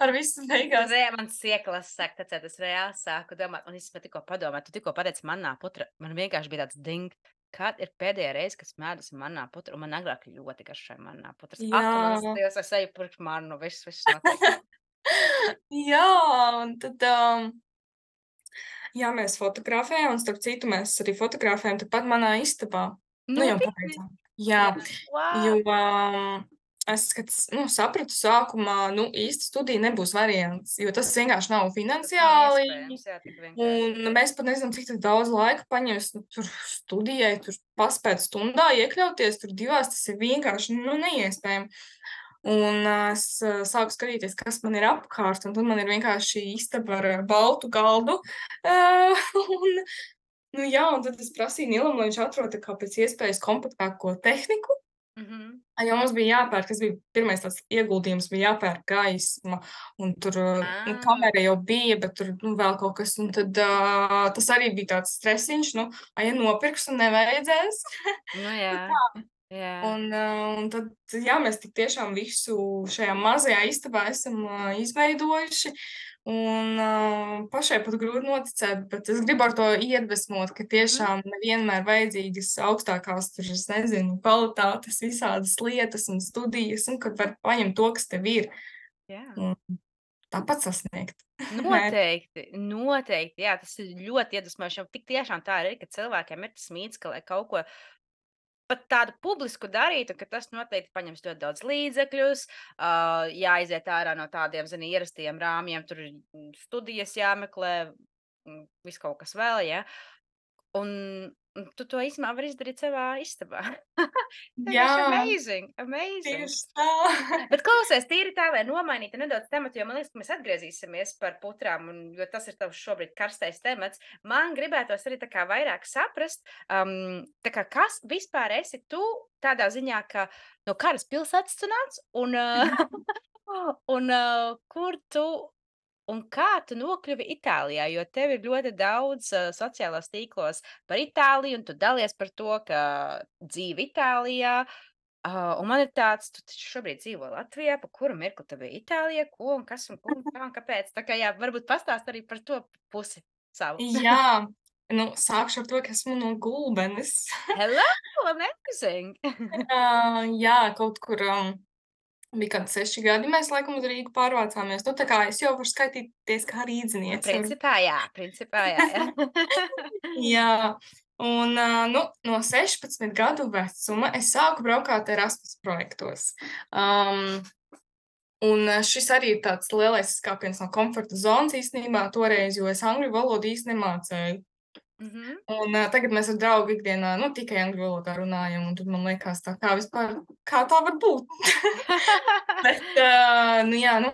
ar visu beigās. Man sieklas sāk tecēt, es reāli sāku domāt, un es tikko padomāju, tu tikko pateici mannā putra, man vienkārši bija tāds ding, kad ir pēdējā reize, kas mēdusi mannā putra, un man agrāk ļoti garšoja mannā putras. Jā. Ak, manas Dievs, es eju pirkt mannu, viss notiek. Jā, un tad, jā, mēs fotografējām, un starp citu mēs arī fotografējām tepat manā istabā. Nu, jau pabeidzām. Jā, jo es, kad sapratu sākumā, īsti studija nebūs variants, jo tas vienkārši nav finansiāli. Un mēs pat nezinām, cik daudz laika paņems tur studijai, tur paspēt stundā iekļauties, tur 2, tas ir vienkārši neiespējami. Un es sāku skatīties, kas man ir apkārt, un tad man ir vienkārši istaba ar baltu galdu. Un tad es prasīju Nilam, lai viņš atrod tā kā pēc iespējas kompaktāko tehniku. Jo mums bija jāpērk, tas bija pirmais tāds ieguldījums, bija jāpērk gaisma, un tur kamera jau bija, bet tur vēl kaut kas, un tad tas arī bija tāds stresiņš, ja nopirks un nevajadzēs. Nu jā. Un tad, mēs tik tiešām visu šajā mazajā istabā esam izveidojuši, un pašai pat grūti noticēt, bet es gribu ar to iedvesmot, ka tiešām nevienmēr vajadzīgas augstākās, tur, es nezinu, kvalitātes, visādas lietas un studijas, un ka var paņemt to, kas tev ir. Un tāpat sasniegt. Noteikti, jā, tas ir ļoti iedvesmojoši, jo tik tiešām tā ir, ka cilvēkiem ir tas mīts, ka lai kaut ko pat tādu publisku darītu, ka tas noteikti paņems ļoti daudz līdzekļus, jāiziet ārā no tādiem, ierastiem rāmjiem, tur studijas jāmeklē, viss kaut kas vēl, ja. Un tu to īstenībā vari izdarīt savā istabā. Jā, amazing. tieši tā. Bet klausies, tīri tā, lai nomainītu nedaudz tematu, jo man liekas, ka mēs atgriezīsimies par putrām, jo tas ir tavs šobrīd karstais temats. Man gribētos arī tā kā vairāk saprast, tā kā kas vispār esi tu tādā ziņā, ka no kādas pilsētas tu nāc, un kur tu un kā tu nokļuvi Itālijā, jo tev ir ļoti daudz sociālos tīklos par Itāliju, un tu dalies par to, ka dzīve Itālijā. Un man ir tāds, tu taču šobrīd dzīvo Latvijā, pa kuru mirkli tev bija Itālijā, ko un kas un ko un kā un kāpēc. Tā kā jā, varbūt pastāst arī par to pusi savu. Jā, sākšu ar to, ka esmu no Gulbenes. Hello! amazing! Jā, kaut kur bija kādi 6 gadi, mēs laikam uz Rīgu pārvācāmies. Nu, tā kā es jau varu skaitīties kā rīdziniece. Principā jā, jā. Jā, un nu, no 16 gadu vecuma es sāku braukāt Erasmus projektos. Un šis arī ir tāds lielais skāpiens no komforta zonas īstenībā toreiz, jo es angļu valodu īsti nemācēju. Un tagad mēs ar draugu ikdienā, nu, tikai angļu valodā runājam, un tad man liekas tā, kā tā var būt? Bet, nu jā, nu,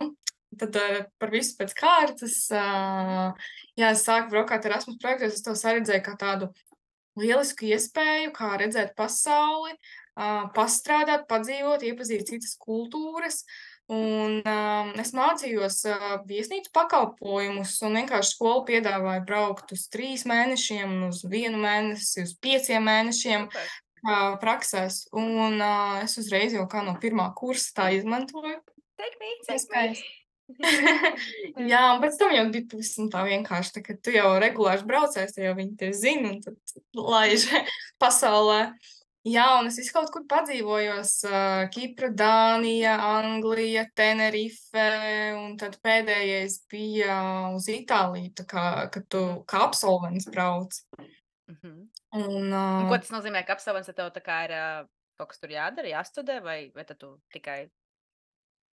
tad par visu pēc kārtas, jā, es sāku braukāt Erasmus projektos, es to saredzēju kā tādu lielisku iespēju, kā redzēt pasauli, pastrādāt, padzīvot, iepazīt citas kultūras. Un es mācījos viesnīcu pakalpojumus, un vienkārši skola piedāvāja braukt uz 3 mēnešiem, uz 1 mēnesi, uz 5 mēnešiem praksēs. Un es uzreiz jau kā no 1. kursa tā izmantoju. Take me. Iespējas. Jā, un pēc tam jau bija pavisam tā vienkārši, tā, ka tu jau regulārs braucējs, jau viņi tevi zina, un tad laiž pasaulē. Jā, un es visu kaut kur padzīvojos, Kipra, Dānija, Anglija, Tenerife, un tad pēdējais bija uz Itāliju, tā kā, kad tu kā absolvents brauc. Un ko tas nozīmē, ka absolvents tev tā kā ir kaut kas tur jādara, jāstudē, vai tad tu tikai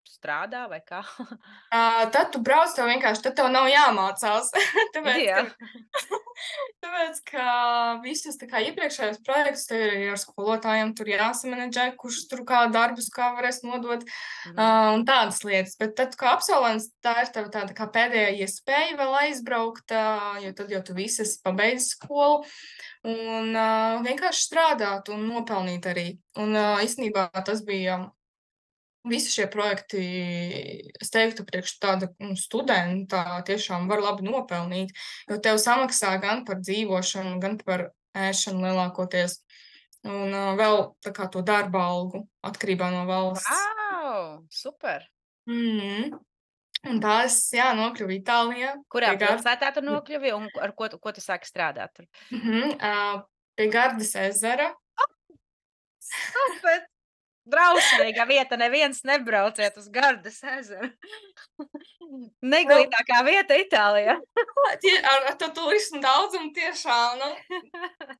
strādā, vai kā? Tad tu brauc, tev vienkārši, tad tev nav jāmācās. Jā. Tāpēc, ka visus tā kā iepriekšējos projektus tev ir ar skolotājiem tur jāsamanedžē, kurš tur kā darbus kā varēs nodot, un tādas lietas. Bet tad, kā absolvents, tā ir tev tāda kā pēdējā iespēja vēl aizbraukt, jo tad jau tu visas pabeidz skolu, un vienkārši strādāt un nopelnīt arī. Un īstenībā tas bija visi šie projekti, es teiktu, priekš tāda studenta tiešām var labi nopelnīt, jo tev samaksā gan par dzīvošanu, gan par ēšanu lielākoties, un vēl tā kā to darba algu atkarībā no valsts. Wow, super! Un tā es, jā, nokļuvu Itālijā. Kurā pilsētā tu nokļuvi un ar ko tu sāki strādāt tur? Pie Gardas ezera. Super! Drausmīga vieta, neviens nebrauciet uz Gardas ezeru. Neglītākā vieta Itālijā. Ar to turismu daudzumu tiešām, nu,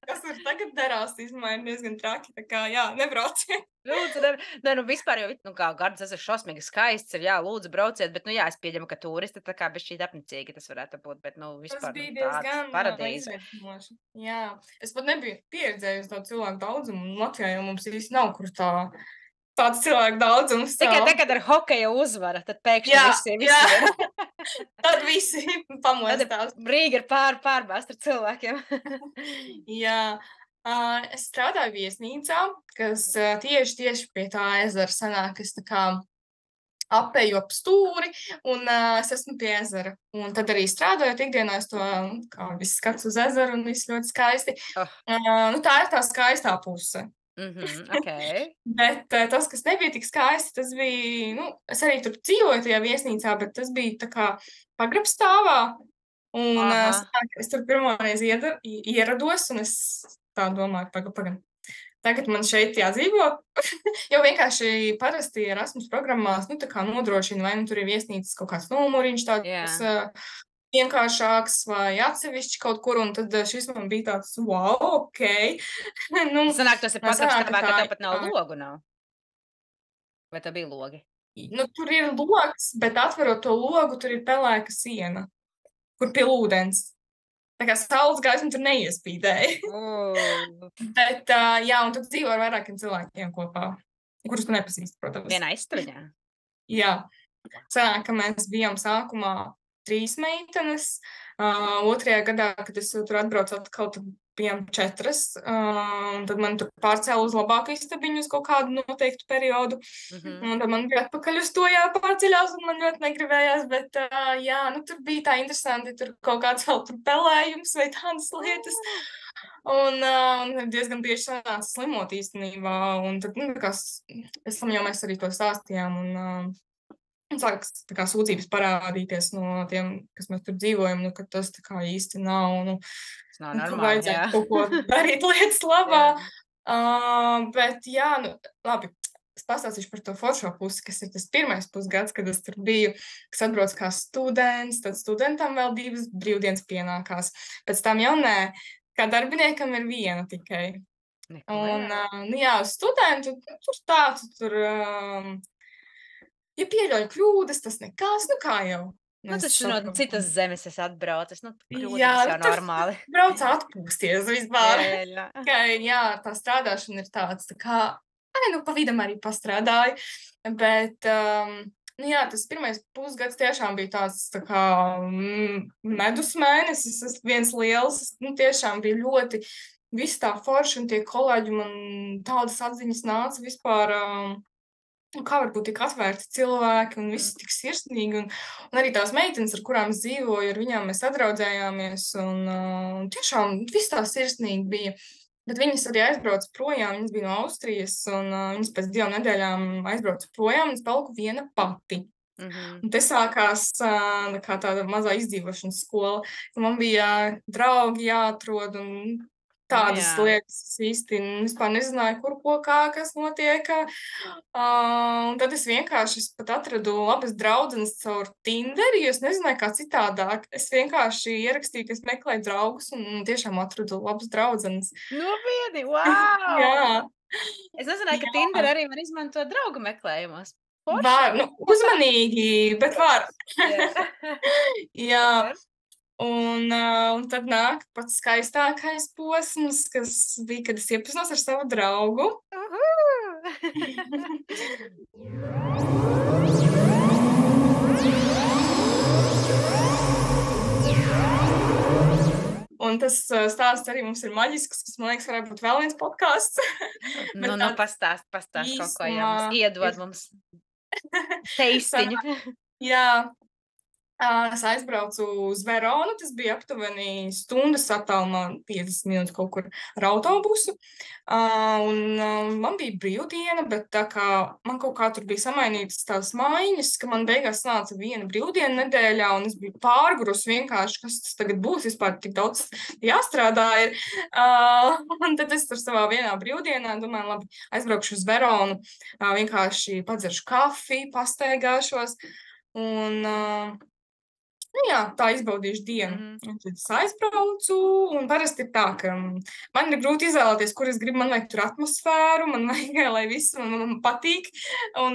kas tur tagad darās, īstenībā ir diezgan traki, tā kā, jā, nebrauciet. Lūdzu, nu vispār jau, nu kā Gardas ezers šausmīgi skaists ir, jā, lūdzu brauciet, bet, nu jā, es pieņemu, ka turisti tā kā bišķīt apnicīgi tas varētu būt, bet, nu, vispār tas bija diezgan paradīze. izaicinoši. Jā, es pat nebiju pieredzējusi to cilvēku daudzumu, un Latvijā jau mums īsti nav, kur tāds cilvēku daudzums. Tikai tagad ar hokeja uzvara, tad pēkšņi visi ir. Tad visi pamostās. Tad Rīga ir pārbāzt ar cilvēkiem. Jā. Es strādāju viesnīcā, kas tieši pie tā ezera sanāk, es tā kā apēju ap stūri, un es esmu pie ezera. Un tad arī strādājot ikdienā, es to, kā viss skats uz ezeru, un viss ļoti skaisti. Nu, tā ir tā skaistā puse. Okay. Bet tas, kas nebija tik skaisti, tas bija, nu, es arī tur dzīvoju tajā viesnīcā, bet tas bija tā kā pagrabstāvā. Un es tur pirmoreiz ierados, un es tā domāju, pagam. Tagad man šeit jādzīvo, jo vienkārši parasti Erasmus programmās, nu, tā kā nodrošina, vai nu tur ir viesnīcas kaut kāds numuriņš tāds vienkāršāks vai atsevišķi kaut kur, un tad šis man bija tāds, wow, ok. Nu, sanāk, tas ir pagrabstāvā, ka tev pat nav logu, nav? Vai tev bija logi? Nu, tur ir logs, bet atverot to logu, tur ir pelēka siena, kur pie ūdens. Tā kā saules gaisma tur neiespīdēja. Bet, jā, un tad dzīvo ar vairākiem cilvēkiem kopā, kurus tu nepazīsti, protams. Vienā istabiņā? Jā. Sanāk, ka mēs bijām sākumā 3 meitenes. 2. gadā, kad es tur atbraucu atkal, tad bijām 4. Tad man tur pārcēla uz labāku istabiņu uz kaut kādu noteiktu periodu. Un tad man bija atpakaļ uz to jāpārceļās, un man ļoti negribējās, bet jā, nu tur bija tā interesanti, tur kaut kāds vēl tur pelējums vai tādas lietas. Un diezgan bieži sanāca slimot īstenībā, un tad, nu, pēc tam jau mēs arī to stāstījām, un sākas tā kā sūdzības parādīties no tiem, kas mēs tur dzīvojam, nu, ka tas tā kā īsti nav, nu, Tas nav normāli, vajadzētu kaut ko darīt lietas labā. Bet jā, nu, labi. Es pastāstīšu par to foršo pusi, kas ir tas pirmais pusgads, kad es tur biju, kas atbrauc kā students, tad studentam vēl 2 brīvdienas pienākās. Pēc tam jau nē, kā darbiniekam ir 1 tikai. Neko, Un, jā. nu jā, uz studentu, tur tāds, ja pieļauj kļūdas, tas nekas, nu kā jau. Nu, tas no citas zemes es atbraucis, nu, Jā, kļūdas jau tur normāli. brauc atpūsties vispār. Jā. Jā, tā strādāšana ir tāds, tā kā, nu, pa vidam arī pastrādāju, bet, nu jā, tas pirmais pusgads tiešām bija tāds, tā kā, medus mēnesis, tas viens liels, nu, tiešām bija ļoti, viss tā forši un tie kolēģi man tādas atziņas nāca vispār, kā var būt tik atvērti cilvēki un visi tik sirsnīgi, un arī tās meitenes, ar kurām es dzīvoju, ar viņām mēs sadraudzējāmies, un tiešām viss tā sirsnīgi bija. Bet viņas arī aizbrauca projām, viņas bija no Austrijas, un viņas pēc 2 nedēļām aizbrauca projām, un es paliku viena pati. Un te sākās kā tāda mazā izdzīvošanas skola, ka man bija draugi jāatrod un tādas lietas. Es īsti vispār nezināju, kur, ko, kā, kas notiek. Un tad es vienkārši pat atradu labas draudzenes caur Tinderi, jo es nezināju, kā citādāk. Es vienkārši ierakstīju, ka es meklēju draugus un tiešām atradu labas draudzenes. Nopietni, wow! Jā. Es nezināju, ka Tinder arī var izmantot draugu meklējumos. Var, nu, uzmanīgi, bet var. Jā. Un tad nāk pats skaistākais posms, kas bija, kad es iepazinos ar savu draugu. Un tas stāsts arī mums ir maģisks, kas, man liekas, varētu būt vēl viens podcasts. Nu, pastāst kaut ko, jā, mums iedod mums teistiņu. Jā. Es aizbraucu uz Veronu, tas bija aptuveni stundas attālumā, 50 minūtes kaut kur ar autobusu. Man bija brīvdiena, bet tā kā man kaut kā tur bija samainītas tās maiņas, ka man beigās nāca 1 brīvdiena nedēļā, un es biju pārgurus vienkārši, kas tas tagad būs, vispār tik daudz jāstrādā ir. Un tad es tur savā vienā brīvdienā domāju, labi, aizbraukšu uz Veronu, vienkārši padzeršu kafiju, pastaigāšos, un nu jā, tā izbaudīšu dienu. Un tad es aizbraucu, un parasti ir tā, ka man ir grūti izvēlēties, kur es gribu, man vajag tur atmosfēru, man vajag, lai viss man patīk, un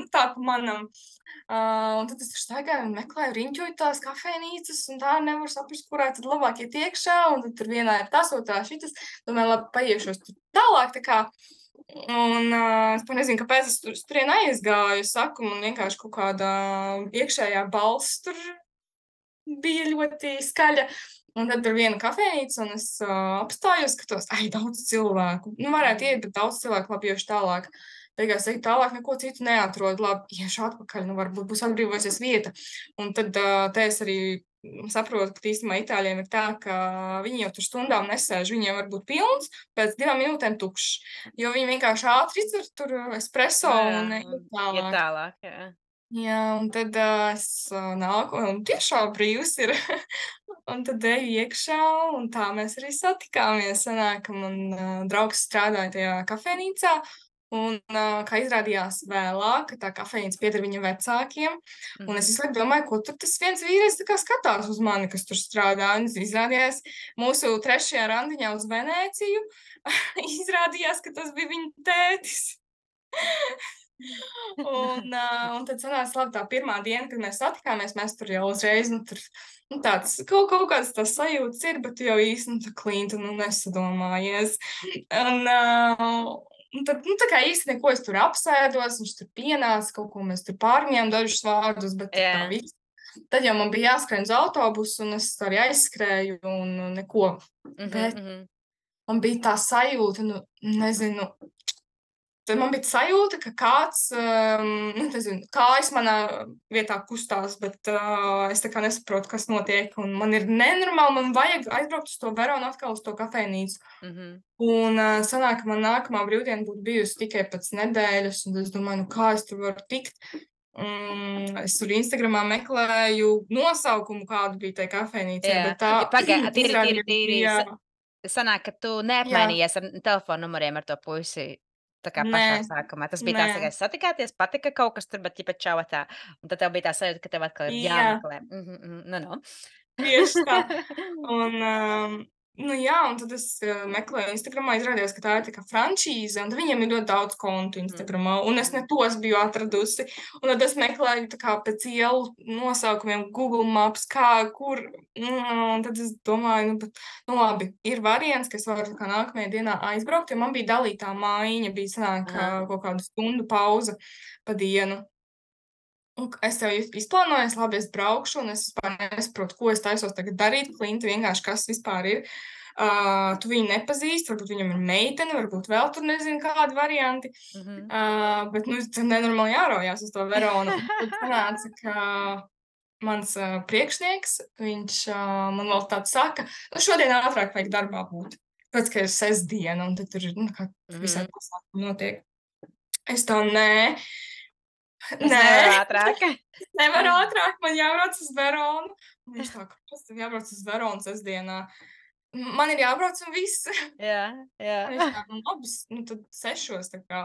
tā pa manam. Un tad es tur staigāju un meklēju, riņķoju tās kafejnīcas, un tā nevaru saprast, kurā tad labāk iet iekšā, un tad tur vienā ir tas, otrā šitas. Domāju, labi, paiešos tur tālāk, tā kā. Un es nezinu, kāpēc es turien aizgāju, saku, man vienkārši kaut kāda iekšējā balss tur bija ļoti skaļa. Un tad tur viena kafejnīca, un es apstājos, skatos, daudz cilvēku. Nu, varētu iet, bet daudz cilvēku labi iešu tālāk. Beigās eju tālāk, neko citu neatrodu. Labi, iešu atpakaļ, nu varbūt būs atbrīvojusies vieta. Un tad te es arī saprotu, ka īstenībā itāļiem ir tā, ka viņi jau tur stundām nesēž. Viņiem var būt pilns, pēc 2 minūtēm tukšs. Jo viņi vienkārši ātri izdzer tur espresso un iet tālāk. Jā, un tad es nāku, un tiešām brīvs ir. Un tad eju iekšā, un tā mēs arī satikāmies. Sanāk, ka man draugs strādāja tajā kafejnīcā, un kā izrādījās vēlāk, tā kafejnīca pieder viņa vecākiem. Un es visu laiku domāju, ko tur tas viens vīrietis tā kā skatās uz mani, kas tur strādā. Un izrādījās mūsu 3. randiņā uz Venēciju, izrādījās, ka tas bija viņa tētis. Un tad sanāca, labi, tā pirmā diena, kad mēs satikāmies, mēs tur jau uzreiz, tāds, kaut kāds tās sajūtas ir, bet jau īsti, klīnti, nesadomājies. Un tad, tā kā īsti neko es tur apsēdos, viņš tur pienāca, kaut ko mēs tur pārņēmām dažus vārdus, bet tā viss. Tad jau man bija jāskrien uz autobusu, un es arī aizskrēju, un neko. Bet man bija tā sajūta, nezinu, tad man bija sajūta, ka kāds, kājas manā vietā kustās, bet es tā kā nesaprotu, kas notiek, un man ir nenormāli, man vajag aizbraukt uz to Veronu atkal uz to kafejnīcu. Un sanāk, ka man nākamā brīvdiena būtu bijusi tikai pēc nedēļas, un es domāju, kā es tur varu tikt. Es tur Instagramā meklēju nosaukumu, kādu bija tai kafejnīcai, bet tā Pagaid, tīri sanāk, ka tu Jā, neapmainījies ar telefonu numuriem ar to puisi, tā kā nē, pašā sākumā. Tas bija nē, tās tikai satikāties, patika kaut kas tur, bet ķipa čau tā, un tad tev bija tā sajūta, ka tev atkal ir jā, jāmeklē. Nu. tieši tā. Un, nu jā, un tad es meklēju Instagramā, izrādījās, ka tā ir tā kā frančīze, un tad viņiem ir ļoti daudz kontu Instagramā, un es ne tos biju atradusi. Un tad es meklēju tā kā pēc ielu nosaukumiem Google Maps, kur, un tad es domāju, nu labi, ir variants, ka es varu tā kā nākamajā dienā aizbraukt, jo man bija dalītā mājiņa, bija sanāk Aha. kaut kādu stundu pauza pa dienu. Un es tev izplānoju, labi, es braukšu, un es vispār nesaprotu, ko es taisos tagad darīt. Klinti vienkārši, kas vispār ir. Tu viņu nepazīsti, varbūt viņam ir meitene, varbūt vēl tur nezinu kādi varianti. Bet, nu, tur nenormāli jāraujās uz to Veronu. Un tad sanāca, ka mans priekšnieks, viņš man vēl tāds saka, nu, šodien ātrāk vajag darbā būt. Pēc, ka ir sestdiena, un tad tur ir, nu, kā visādi pasākumi notiek. Es tā, nē, Es nevaru ātrāk. nevaru ātrāk, man jābrauc uz Veronu. Un viņš tā, kāpēc tev jābrauc uz Veronu sestdienā? Man ir jābrauc un viss. Jā, Un viņš jā. tā, nu labi, nu tad 6, tā kā.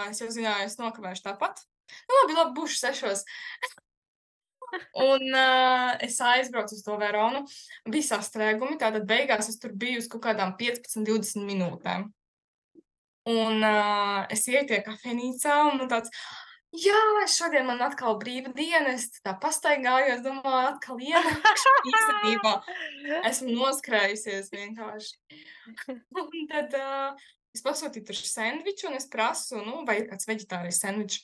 Es jau zināju, es nokavēšu tāpat. Nu labi, būšu 6. Un es aizbraucu uz to Veronu. Bija sastrēgumi, tātad beigās es tur biju uz kaut kādām 15-20 minūtēm. Un es ieju tie kafejnīcā, un man tāds, jā, šodien man atkal brīva diena, es tā pastaigājos, domāju, atkal ienākšu. Īstenībā esmu noskrējusies vienkārši. Un tad es pasūtīju tur sendviču, un es prasu, nu, vai ir kāds veģetārais sendvičs.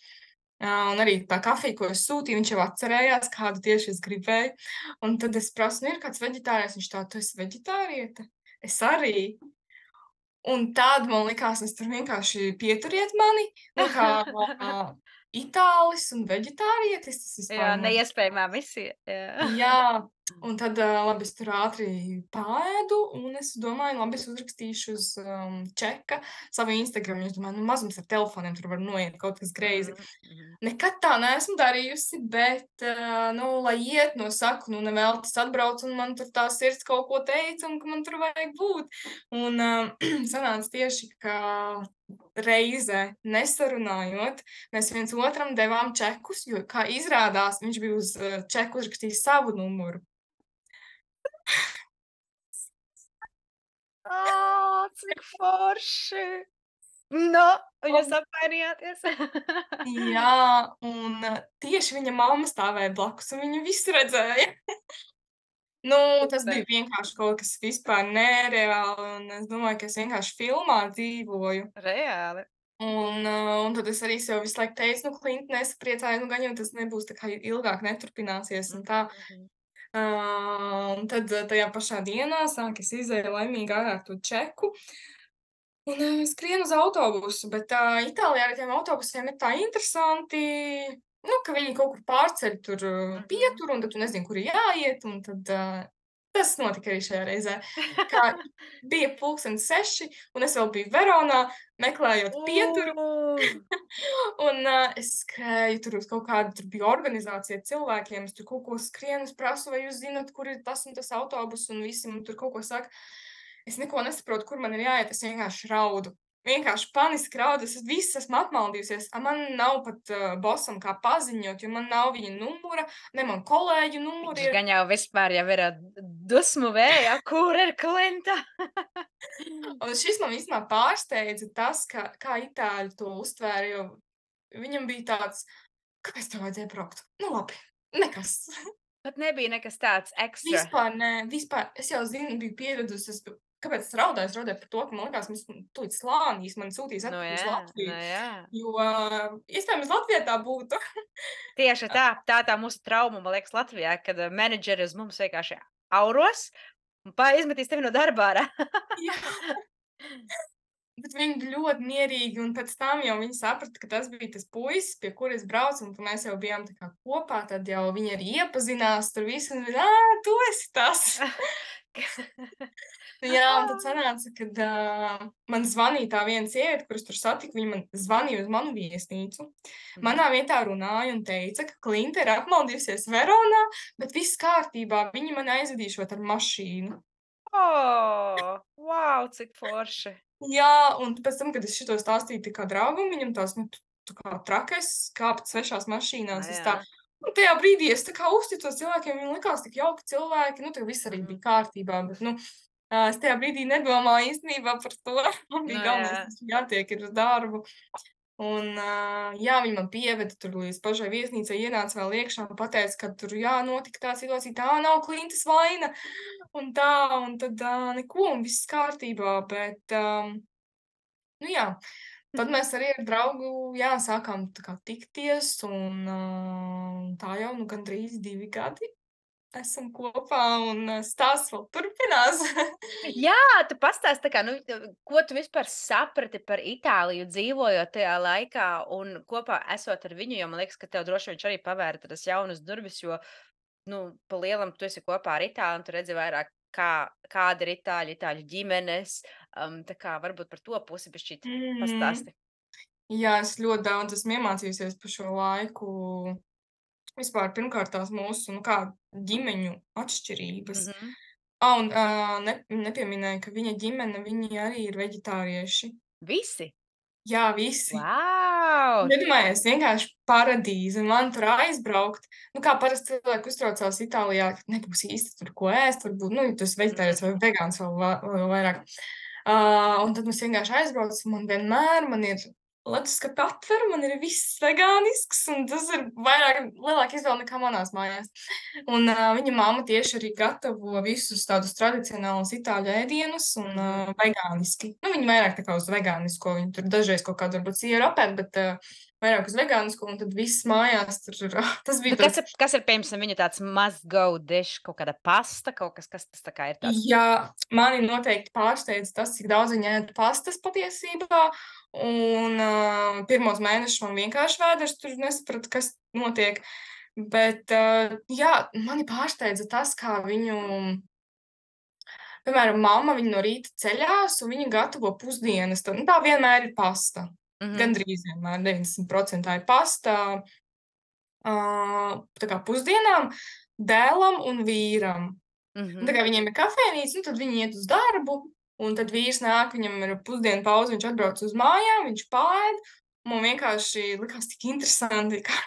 Un arī tā kafija, ko es sūtīju, viņš jau atcerējās, kādu tieši es gribēju. Un tad es prasu, nu, ir kāds veģetārais, viņš tā, tu esi veģetāriete? Es arī. Un tad man likās, es tur vienkārši pieturiet mani, nu, kā itālis un veģetārietis, tas Jā, vispār neiespējamā misija. Jā. Jā, un tad, labi, es tur ātri paēdu, un es domāju, labi, es uzrakstīšu uz čeka savu Instagram, jo es domāju, nu, mazums ar telefoniem, tur var noiet kaut kas greizi. Nekad tā neesmu darījusi, bet, nu, lai iet no saku, nu, neveltis atbrauc, un man tur tā sirds kaut ko teica, un ka man tur vajag būt. Un sanāca tieši, ka reizē nesarunājot, mēs viens otram devām čekus, jo, kā izrādās, viņš bija uz čeku uzrakstījis savu numuru. Cik forši! Nu, jūs apmainījāties? Jā, un tieši viņa mamma stāvēja blakus, un viņa visu redzēja. Nu, tas bija vienkārši kaut kas vispār nereāli, un es domāju, ka es vienkārši filmā dzīvoju. Reāli. Un tad es arī sev visu laiku teicu, nu, Klinti, nesapriecāju, nu, gan jau tas nebūs tā kā ilgāk neturpināsies un tā. Un tad tajā pašā dienā sāk es izēju laimīgi ārā ar to čeku. Un skrienu uz autobusu, bet Itālijā ar tiem autobusiem ir tā interesanti, nu, ka viņi kaut kur pārceļ tur pieturu, un tad tu nezini, kur ir jāiet, un tad tas notika arī šajā reizē. Kā bija 6:30, un es vēl biju Veronā, meklējot pieturu, un es skrēju tur uz kaut kādu, tur bija organizācija cilvēkiem, es tur kaut ko skrienu, es prasu, vai jūs zinat, kur ir tas un tas autobus, un visi man tur kaut ko saka. Es neko nesaprotu, kur man ir jāiet, es vienkārši raudu. Vienkārši paniski raudu, es viss esmu apmaldījusies. Man nav pat bosam kā paziņot, jo man nav viņa numura, ne man kolēģu numuri Viņš ir. gan jau vispār jau ir dusmu vējā, kur ir Klinta? Un šis man īstenībā pārsteidza tas, kā itāļi to uztvēra, jo viņam bija tāds, kāpēc tev vajadzēja braukt? Nu labi, nekas. Pat nebija nekas tāds ekstra. Vispār nē, vispār. Es jau zinu, biju pieradusi, kāpēc es raudāju? Es raudāju par to, ka man likās, mēs tūlīt slānīs, man sūtīs Nu atpakaļ uz jā, Latviju. nu jā. Jo iespējams Latvijā tā būtu. Tieši tā mūsu trauma, man liekas, Latvijā, kad menedžeri uz mums vienkārši auros un izmetīs tevi no darbā ārā. Jā. Bet viņi bija ļoti mierīgi, un pēc tam jau viņi saprata, ka tas bija tas puisis, pie kura es braucu, un ka mēs jau bijām tā kā kopā, tad jau viņi arī iepazinās tur visu, un viņi, tu esi tas. Jā, un tad sanāca, kad man zvanīja tā viena sieviete, kuras tur satiku, viņa man zvanīja uz manu viesnīcu. Manā vietā runāja un teica, ka Klinta ir apmaldījusies Veronā, bet viss kārtībā, viņi man aizvedīšot ar mašīnu. Wow, cik forši! Jā, un pēc tam, kad es šito stāstīju tā kā draugam, viņam tās, nu, tā kā trakais kāpt svešās mašīnās, es tā, Jā. un tajā brīdī es tā kā uzticos cilvēkiem, viņiem likās tik jauki cilvēki, nu, tā viss arī bija kārtībā, bet, nu, es tajā brīdī nedomāju īstenībā par to, man Nu bija galvenais, jā. tas jātiek ir uz darbu. Un, jā, viņi man pieveda tur līdz pašai viesnīcai, ienāca vēl iekšā un pateica, ka tur, jā, notika tā situācija, tā nav Klintas vaina, un tā, un tad neko, un viss kārtībā, bet, nu jā, tad mēs arī ar draugu, jā, sākām tā kā tikties, un tā jau, nu, gandrīz 2 gadi esam kopā, un stāsts vēl turpinās. Jā, tu pastāsti, tā kā, nu, ko tu vispār saprati par Itāliju, dzīvojot tajā laikā un kopā esot ar viņu, jo man liekas, ka tev droši viņš arī pavēra tādas jaunas durvis, jo, nu, pa lielam tu esi kopā ar Itāli un tu redzi vairāk, kāda ir itāļu ģimenes, tā kā varbūt par to pusi bišķīt Mhm. pastāsti. Jā, es ļoti daudz esmu iemācījusies pa šo laiku. Vispār pirmkārt tās mūsu, nu kā, ģimeņu atšķirības. Mhm. Un, nepieminēju, ka viņa ģimene, viņi arī ir veģetārieši. Visi? Jā, visi. Vau! Iedomājies, vienkārši paradīze, un man tur aizbraukt. Nu, kā parasti cilvēki uztraucās Itālijā, ka nebūs īsti tur ko ēst, varbūt, nu, ja tu esi Mhm. veģetārietis vai vegāns vēl vairāk. Un tad mēs vienkārši aizbraucam, un vienmēr man ir leduskapa atver, man ir viss vegānisks, un tas ir lielāka izvēle nekā manās mājās. Un viņa mamma tieši arī gatavo visus tādus tradicionālus itāļu ēdienus un Mhm. vegāniski. Nu, viņi vairāk tā kā uz vegānisko, viņi tur dažreiz kaut kādu varbūt sieru apēd, bet vairāk uz vegānisko, un tad viss mājās tur ir, tas Nu, bija tāds. kas ir, piemēram, viņu tāds must go dish, kaut kāda pasta, kaut kas tas tā kā ir tāds? Jā, mani noteikti pārsteidz tas, cik daudz viņa ēd pastas patiesībā, un pirmos mēnešus man vienkārši vēders tur nesaprata, kas notiek, bet jā, mani pārsteidza tas, kā viņu, piemēram, mamma, viņa no rīta ceļās, un viņa gatavo pusdienas, tad, nu, tā vienmēr ir pasta, Mhm, gandrīz vienmēr, 90% ir pasta, tā kā pusdienām, dēlam un vīram. Un tā mhm. kā viņiem ir kafejnīca, nu, tad viņi iet uz darbu, un tad vīrs nāk, viņam ir pusdienu pauze, viņš atbrauc uz mājām, viņš paēd. Man vienkārši likās tik interesanti, ka,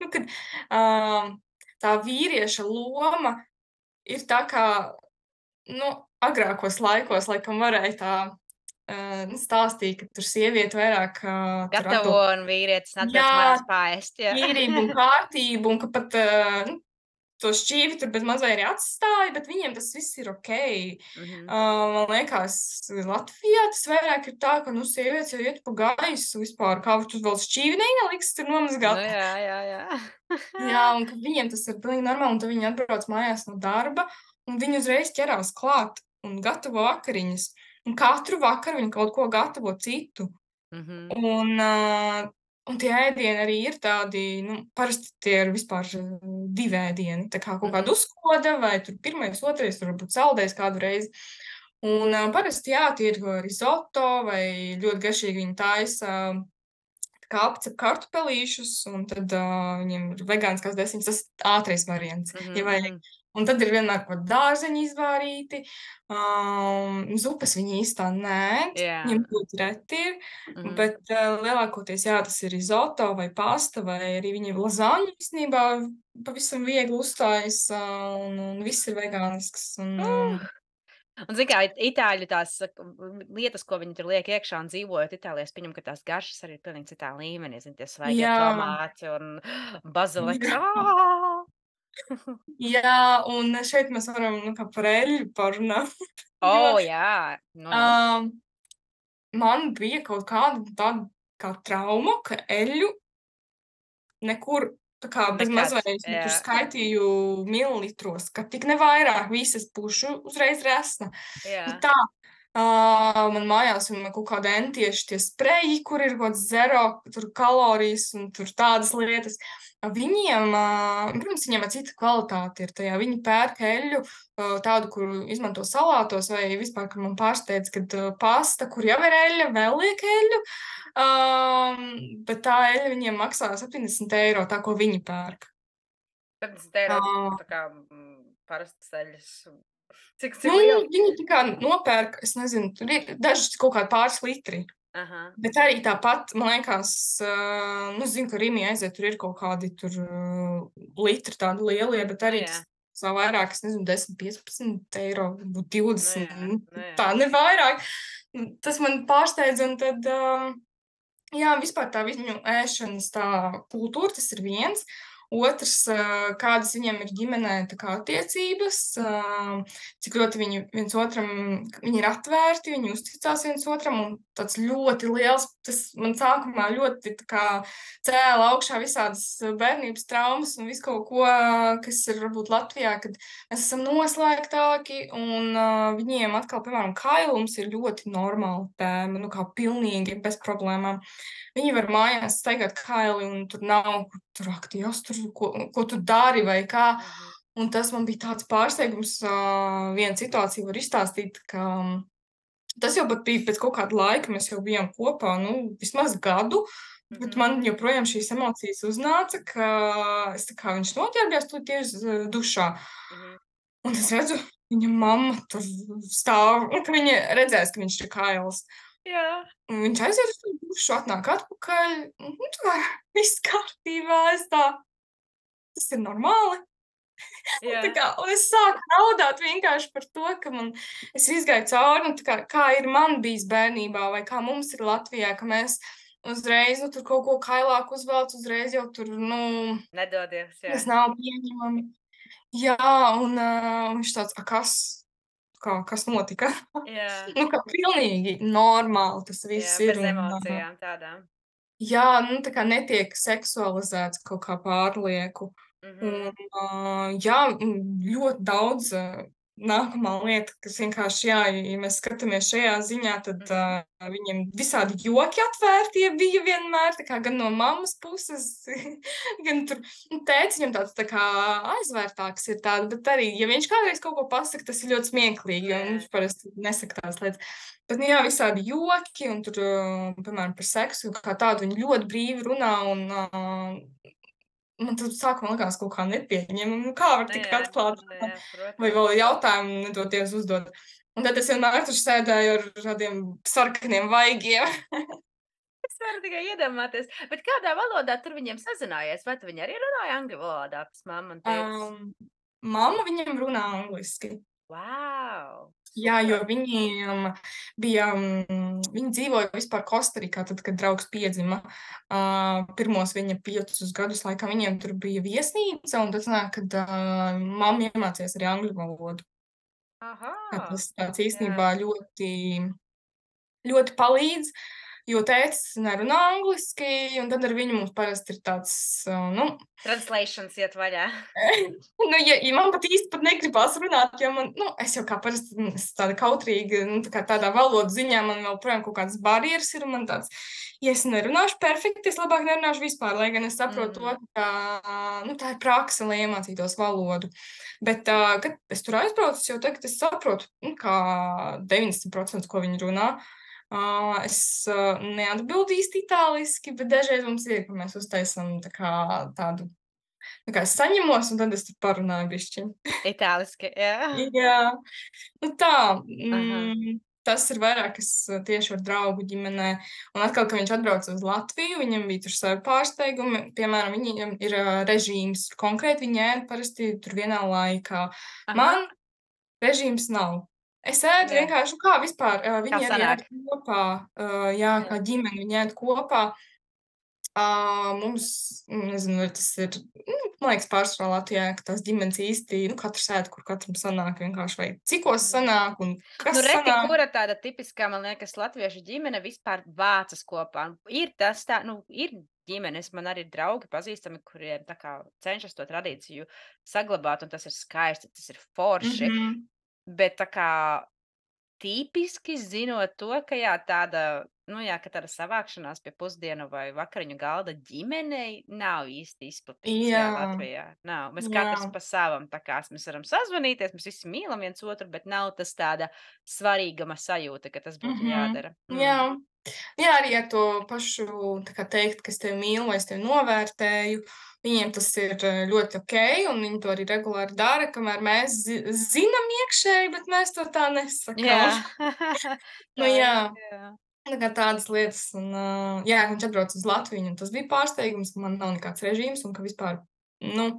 nu, kad tā vīrieša loma ir tā kā, nu, agrākos laikos, laikam varēja tā nu, stāstīt, ka tur sieviete vairāk tur Gatavo atbild. un vīrietis atbrauc Jā, mājās paēst, jā. tīrību un kārtību, un ka pat nu, to šķīvi tur bez mazliet arī atstāja, bet viņiem tas viss ir okei. Mhm. Man liekas, Latvijā tas vairāk ir tā, ka, nu, sievietes jau iet pa gaisu vispār, kā tu vēl šķīvi neieliks tur Nu nomazgāt. jā, jā, jā. Jā, un ka viņiem tas ir pilnīgi normāli, un tad viņi atbrauc mājās no darba, un viņi uzreiz ķerās klāt un gatavo vakariņas. Un katru vakaru viņi kaut ko gatavo citu. Mhm, Un, un tie ēdieni arī ir tādi, nu, parasti tie ir vispār 2 ēdieni, tā kā kaut kāda mhm, uzkoda vai tur 1., 2., varbūt saldējs kādu reizi. Un, parasti, jā, tie ir rizoto vai ļoti garšīgi viņi taisa kā apcep kartupelīšus, un tad viņiem ir vegāniskās desiņas, tas ātrais variants, mhm, ja vajag. mhm. Un tad ir vienmēr kaut kādi dārzeņi izvārīti, zupas viņi īstā neēd, Jā, viņiem ļoti reti ir, mhm. bet lielākoties, jā, tas ir rizoto vai pasta, vai arī viņi lazaņu īstenībā pavisam viegli uzstājas, un viss ir vegānisks. Un, Uh! Un, zini, kā itāļu tās lietas, ko viņi tur liek iekšā un dzīvojot Itālijā, es pieņemu, ka tās garšas arī ir pilnīgi citā līmenī. Zini, tie svaigie jā, tomāti un baziliks. jā. Jā, un šeit mēs varam, nu, kā par eļļu parunāt, jo, Jā. Nu. ām, man bija kaut kāda tāda kā trauma, ka eļļu nekur tā kā bez Nekad. mazliet es tur Jā, skaitīju mililitros, ka tik ne vairāk, visas pušu uzreiz resna. Bet jā. tā, man mājās un kaut kādi entieši tie spreji, kur ir kaut kāds zero tur kalorijas un tur tādas lietas. Viņiem, protams, viņiem ir cita kvalitāte ir tajā. Viņi pērk eļļu, tādu, kuru izmanto salātos vai vispār, kur man pārsteidz, kad pasta, kur jau ir eļļa, vēl liek eļļu. Bet tā eļļa viņiem maksā 70 eiro, tā, ko viņi pērk. 70 eiro Ā, tā kā parastas eļļas Cik Nu, liela? viņi tā kā nopērk, es nezinu, tur ir daži kaut kādi pāris litri. Aha. Bet arī tāpat, man liekas, nu, zinu, ka Rīmī aiziet, tur ir kaut kādi tur litri tādi lielie, bet Nu arī jā, tas savā vairāk, es nezinu, 10, 15 eiro, varbūt nu 20, jā, nu jā. tā ne vairāk. Tas man pārsteidz, un tad, jā, vispār tā viņu ēšanas tā kultūra, tas ir viens. Otrs, kādas viņiem ir ģimenē tā kā attiecības, cik ļoti viņi viens otram, viņi ir atvērti, viņi uzticās viens otram, un tāds ļoti liels, tas man sākumā ļoti tā kā cēla augšā visādas bērnības traumas un visu kaut ko, kas ir varbūt Latvijā, kad mēs esam noslēgtāki, un viņiem atkal, piemēram, kailums ir ļoti normāla tēma, nu kā pilnīgi bez problēmām. Viņi var mājās staigāt kaili, un tur nav, tur aktīvs, tur, ko tu dari vai kā. Mhm. Un tas man bija tāds pārsteigums. Viena situācija var izstāstīt, ka tas jau pat bija pēc kaut kāda laika, mēs jau bijām kopā, nu, vismaz gadu, bet man Mhm. joprojām šīs emocijas uznāca, ka es tā kā viņš noķērbjās tu tieši dušā. Mhm. Un es redzu, viņa mamma tur stāv, un ka viņa redzēs, ka viņš ir kails. Jā. Un viņš aiziet uz to dušu, atnāk atpakaļ, un nu, tā viss kārtībā, es tā, tas ir normāli. Un, Jā. tā kā, un es sāku raudāt vienkārši par to, ka es izgāju cauri, un tā kā ir man bijis bērnībā, vai kā mums ir Latvijā, ka mēs uzreiz, nu, tur kaut ko kailāku uzvelc, uzreiz jau tur, nu, Nedodies, jā. tas nav pieņemami. Jā, un viņš tāds, kas? Kas notika? Jā, Nu, ka pilnīgi normāli tas jā, viss ir, bez un emocijām tādām. jā, nu, tā kā netiek seksualizēts kaut kā pārlieku. Un, Mhm. jā, ļoti daudz nākamā lieta, kas vienkārši, jā, ja mēs skatāmies šajā ziņā, tad Mhm. viņiem visādi joki atvērtie bija vienmēr, tā kā gan no mammas puses, gan tur, nu, tētis viņam tāds tā kā aizvērtāks ir tāda, bet arī, ja viņš kādreiz kaut ko pasaka, tas ir ļoti smieklīgi, Nu un jā. viņš parasti nesaka tās lietas. Bet, nu, jā, visādi joki, un tur, piemēram, par seksu kā tādu viņi ļoti brīvi runā, un man tad sākumā likās kaut kā nepieņemami, nu, kā var Nu tik jā, atklāt nu runāt, jā, vai protams. vēl jautājumu nedoties uzdot. Un tad es vienmēr tur sēdēju ar tādiem sarkaniem vaigiem. Es varu tikai iedomāties. Bet kādā valodā tur viņiem sazinājās? Vai tu viņi arī runāja angļu valodā, tas mamma un tētis? Mamma viņam runā angliski. Wow! Jā, jo Super! viņiem bija, viņi dzīvoja vispār Kostarikā, tad, kad draugs piedzima. Pirmos viņa 5 gadus laikam viņiem tur bija viesnīca, un tad sanāk, kad mamma iemācījās arī angļu valodu. Tā Aha! tas tāds Jā. īstenībā ļoti, ļoti palīdz, jo tētis nerunā angliski, un tad ar viņu mums parasti ir tāds, nu, Translations iet vaļā. nu, ja man pat īsti pat negribas runāt, jo man, nu, es jau kā parasti, es tāda kautrīga, nu, tā kā tādā valodas ziņā man vēl projām kaut kādas barjeras ir, un man tāds, ja es nerunāšu perfekti, es labāk nerunāšu vispār, lai gan es saprotu to, ka, nu, tā ir praksa, lai iemācītos valodu. Bet, kad es tur aizbraucu, jau tagad es saprotu, nu, kā 90%, ko viņi runā. Es neatbildu īsti itāliski, bet dažreiz mums ir, ka mēs uztaisam tā kā tādu. Tā kā es saņemos, un tad es tur parunāju bišķiņu. Itāliski, jā. Jā, nu tā, Aha. tas ir vairāk, kas tieši ar draugu ģimenē. Un atkal, kad viņš atbrauca uz Latviju, viņam bija tur savi pārsteigumi. Piemēram, viņiem ir režīms. Konkrēti viņi ēd parasti tur vienā laikā. Aha. Man režīms nav. Es ēdu Jā. vienkārši, nu kā vispār, Kā viņi arī ēd sanāk? kopā, jā, kā ģimene, viņi ēd kopā. Mums, nezinu, vai tas ir, man liekas, pārsvarā Latvijā, ka tās ģimenes īsti, nu, katrs ēd, kur katram sanāk vienkārši, vai cikos Mhm. sanāk, un Nu, kas reti sanāk. kura tāda tipiskā, man liekas, latviešu ģimene vispār vācas kopā. Ir tas tā, nu, ir ģimenes, man arī ir draugi pazīstami, kuriem tā kā cenšas to tradīciju saglabāt, un tas ir skaisti, tas ir forši. Mhm. Bet tā kā tipiski zinot to, ka jā, tāda nu jā, ka tāda savākšanās pie pusdienu vai vakariņu galda ģimenei nav īsti izplatīts, jā, Jā, Latvijā. Nav. Mēs katrs jā. pa savam, tā kā mēs varam sazvanīties, mēs visi mīlam viens otru, bet nav tas tāda svarīguma sajūta, ka tas būtu Mhm. jādara. Jā. Jā, arī ar to pašu, tā kā teikt, ka es tevi mīlu vai es tevi novērtēju, viņiem tas ir ļoti okei, un viņi to arī regulāri dara, kamēr mēs zinām iekšēji, bet mēs to tā nesakām. Jā, Nu tā jā, ir, jā. tā kā tādas lietas, un jā, viņš atbrauc uz Latviju, un tas bija pārsteigums, ka man nav nekāds režīms, un ka vispār, nu,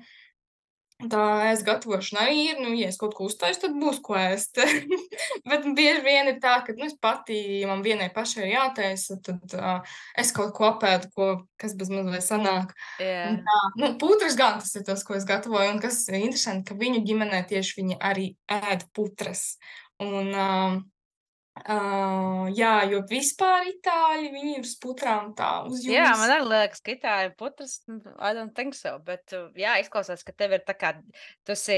tā ēst gatavošana arī ir, nu, ja es kaut ko uztaisu, tad būs ko ēst. Bet bieži vien ir tā, ka, nu, es pati, ja man vienai pašai ir jātaisa, tad es kaut ko apēdu, kas bez mazliet sanāk. Un Jā. tā, nu, putras gan tas ir tas, ko es gatavoju, un kas ir interesanti, ka viņu ģimenē tieši viņi arī ēd putras. Un, jā, jo vispār itāļi, viņi uz putrām tā Jā, man uzjūs. arī liekas, ka itāļu putras, I don't think so, bet, jā, izklausās, ka tev ir tā kā tu esi,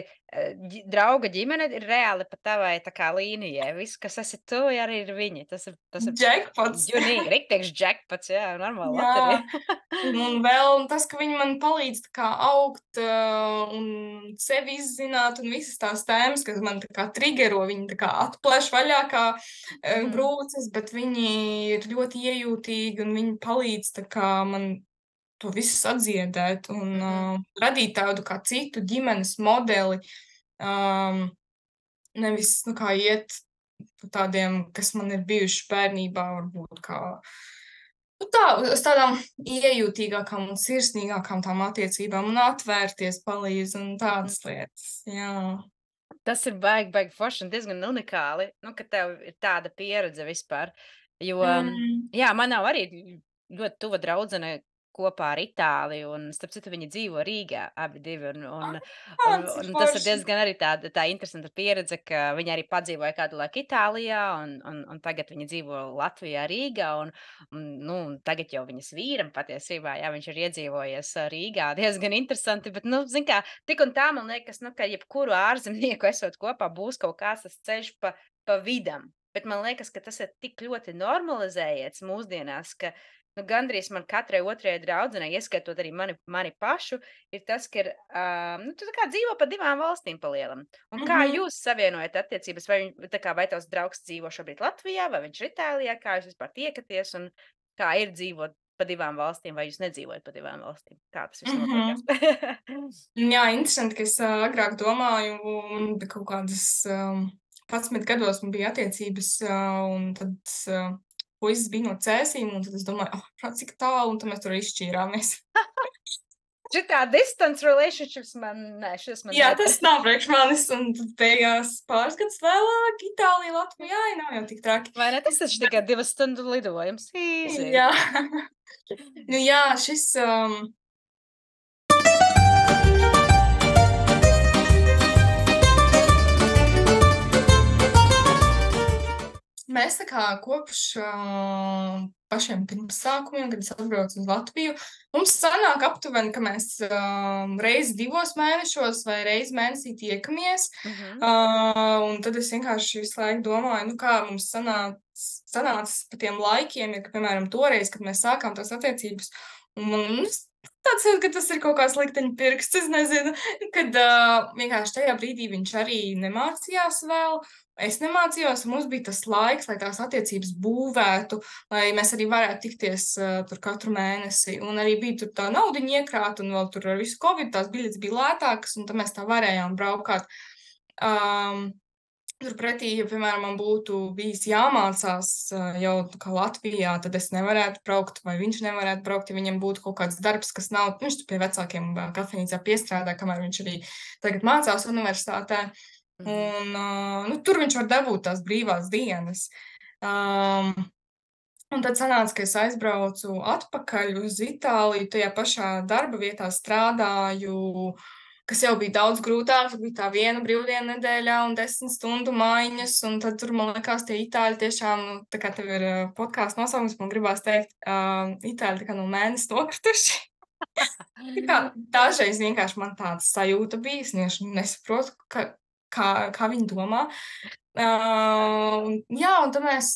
drauga ģimene ir reāli pa tavai tā kā līnijai. Viss, kas esi tu, arī ir viņi. Tas ir Džekpots. junīgi, riktīgs džekpots, jā, normāla Jā. loterija. Un vēl tas, ka viņi man palīdz tā kā augt, un sevi izzināt, un visas tās tēmas, kas man tā kā trigero, viņi tā kā atplēš vaļā kā Mhm, brūces, bet viņi ir ļoti iejūtīgi, un viņi palīdz tā kā man to visu sadziedēt un mhm. radīt tādu kā citu ģimenes modeli, um, nevis, nu, kā iet pa tādiem, kas man ir bijuši bērnībā, varbūt kā nu tā, uz tādām iejūtīgākām un sirsnīgākām tām attiecībām un atvērties palīdz un tādas lietas, jā. Tas ir baigi forši un diezgan unikāli, nu, ka tev ir tāda pieredze vispār. Jo, Mm. jā, man nav arī ļoti tuva draudzene kopā ar Itāliju, un starp citu viņi dzīvo Rīgā abi divi, Cik un tas ir forši. diezgan arī tā interesanta pieredze, ka viņi arī padzīvoja kādu laiku Itālijā, un tagad viņi dzīvo Latvijā, Rīgā, nu, un tagad jau viņas vīram patiesībā, jā, viņš ir iedzīvojies Rīgā, diezgan interesanti, bet, nu, zin kā, tik un tā man liekas, nu, ka jebkuru ārzemnieku esot kopā būs kaut kāds tas ceļš pa vidam. Bet man liekas, ka tas ir tik ļoti normalizējies mūsdienās, ka nu, gandrīz man katrai otrajai draudzenei, ieskaitot arī mani pašu, ir tas, ka ir, nu, tu tā kā dzīvo pa divām valstīm pa lielam. Un kā Mhm. jūs savienojat attiecības? Tā kā vai tavs draugs dzīvo šobrīd Latvijā, vai viņš ir Itālijā? Kā jūs vispār tiekaties un kā ir dzīvot pa divām valstīm, vai jūs nedzīvojat pa divām valstīm? Kā tas viss Mhm. notiekās? Jā, interesanti, ka es agrāk domāju, un bija kaut kādas 11 gados man bija attiecības, un tad puisis bija no Cēsīm, un tad es domāju, cik tālu, un tad mēs tur izšķīrāmies. Šitā distance relationships man, nē, šis man Jā, neder. tas nav priekš manis, un tad beigās pāris gadus vēlāk Itālija, Latvija, ai, nav jau tik traki. Vai ne? Tas taču tikai 2 stundu lidojums. Easy. Jā. Nu jā, šis, mēs tā kā kopš pašiem pirmsākumiem, kad es atbraucu uz Latviju, mums sanāk aptuveni, ka mēs reizi 2 mēnešos vai reizi mēnesī tiekamies. Mhm. Un tad es vienkārši visu laiku domāju, nu kā mums sanāca pa tiem laikiem, ja, ka, piemēram, toreiz, kad mēs sākām tās attiecības, un man tāds ir, ka tas ir kaut kāds likteņpirksts, es nezinu, kad vienkārši tajā brīdī viņš arī nemācījās vēl, es nemācījos, un mums bija tas laiks, lai tās attiecības būvētu, lai mēs arī varētu tikties tur katru mēnesi. Un arī bija tur tā naudiņa iekrāta, un vēl tur ar visu Covid tās biļetes bija lētākas, un tad mēs tā varējām braukāt. Turpretī, ja, piemēram, man būtu bijis jāmācās jau kā Latvijā, tad es nevarētu braukt, vai viņš nevarētu braukt, ja viņam būtu kaut kāds darbs, kas nav, viņš tur pie vecākiem kafejnīcā piestrādā, kamēr viņš arī tagad mācās universitātē. Mhm. Un, nu, tur viņš var dabūt tās brīvās dienas. Um, un tad sanāca, ka es aizbraucu atpakaļ uz Itāliju, tajā pašā darba vietā strādāju, kas jau bija daudz grūtāk, bija tā viena brīvdiena nedēļā un 10 stundu maiņas, un tad tur, man liekas, tie itāļi tiešām, nu, tā kā tev ir podkāsts nosaukums, man gribās teikt, itāļi tā kā no mēnesi nokrituši. Tā kā dažreiz vienkārši man tāda sajūta bija, es vienkārši nesaprotu, kā viņi domā. Jā, un tad mēs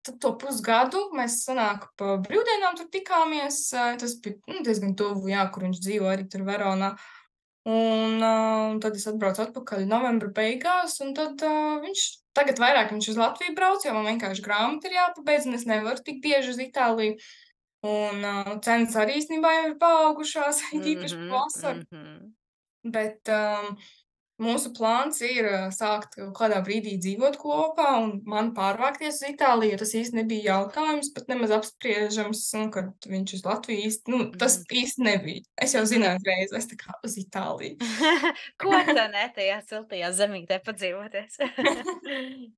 tad to pusgadu mēs sanāk pa brīvdienām tur tikāmies. Tas bija diezgan tuvu, jā, kur viņš dzīvo arī tur Veronā. Un tad es atbraucu atpakaļ novembra beigās, un tad tagad vairāk viņš uz Latviju brauc, jo man vienkārši grāmata ir jāpabeidz, un es nevaru tik bieži uz Itāliju. Un cenas arī īstenībā jau ir paaugušās, īpaši vasaru. Bet mūsu plāns ir sākt kaut kādā brīdī dzīvot kopā un man pārvākties uz Itāliju. Tas īsti nebija jautājums, pat nemaz apspriežams, kad viņš uz Latviju īsti, tas īsti nebija. Es jau zināju uzreiz, es tā kā uz Itāliju. Ko tā ne tajā siltajā zemītē padzīvoties?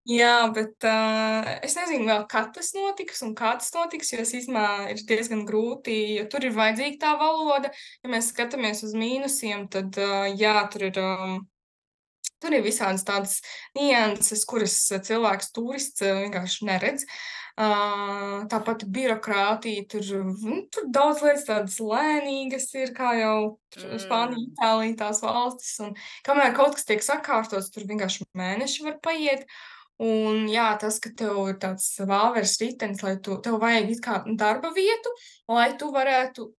Jā, bet es nezinu vēl, kad tas notiks un kā tas notiks, jo es īstenībā ir diezgan grūti, jo tur ir vajadzīga tā valoda. Ja mēs skatāmies uz mīnusiem, tad jā, tur ir visādas tādas nianses, kuras cilvēks turists vienkārši neredz. Tāpat birokrātija, tur daudz lietas tādas lēnīgas ir, kā jau Spānija, Itālija, tās valstis. Un kamēr kaut kas tiek sakārtots, tur vienkārši mēneši var paiet. Un jā, tas, ka tev ir tāds vāveres ritenis, lai tev vajag it kā darba vietu, lai tu varētu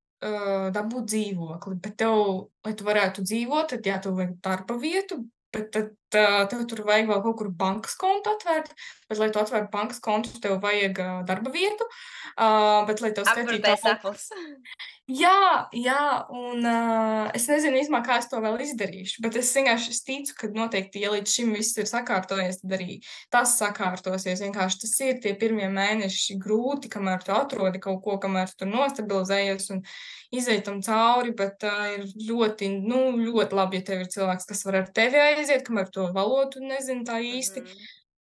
dabūt dzīvokli. Bet lai tu varētu dzīvot, tad jā, tev vajag darba vietu, bet tad tev tur vajag vēl kaut kur bankas kontu atvērt, bet, lai tu atvērtu bankas kontu, tev vajag darba vietu, bet, lai tev skaitītu... Apgrūtais aplis. Jā, un es nezinu īstenībā, kā es to vēl izdarīšu, bet es vienkārši ticu, ka noteikti, ja līdz šim viss ir sakārtojies, tad arī tas sakārtosies. Vienkārši tas ir tie pirmie mēneši grūti, kamēr tu atrodi kaut ko, kamēr tu tur nostabilizējies un izej tam cauri, bet ir ļoti, ļoti labi, ja tev ir cilvēks, kas var ar tevi aiziet, kamēr to valodu nezinu tā īsti,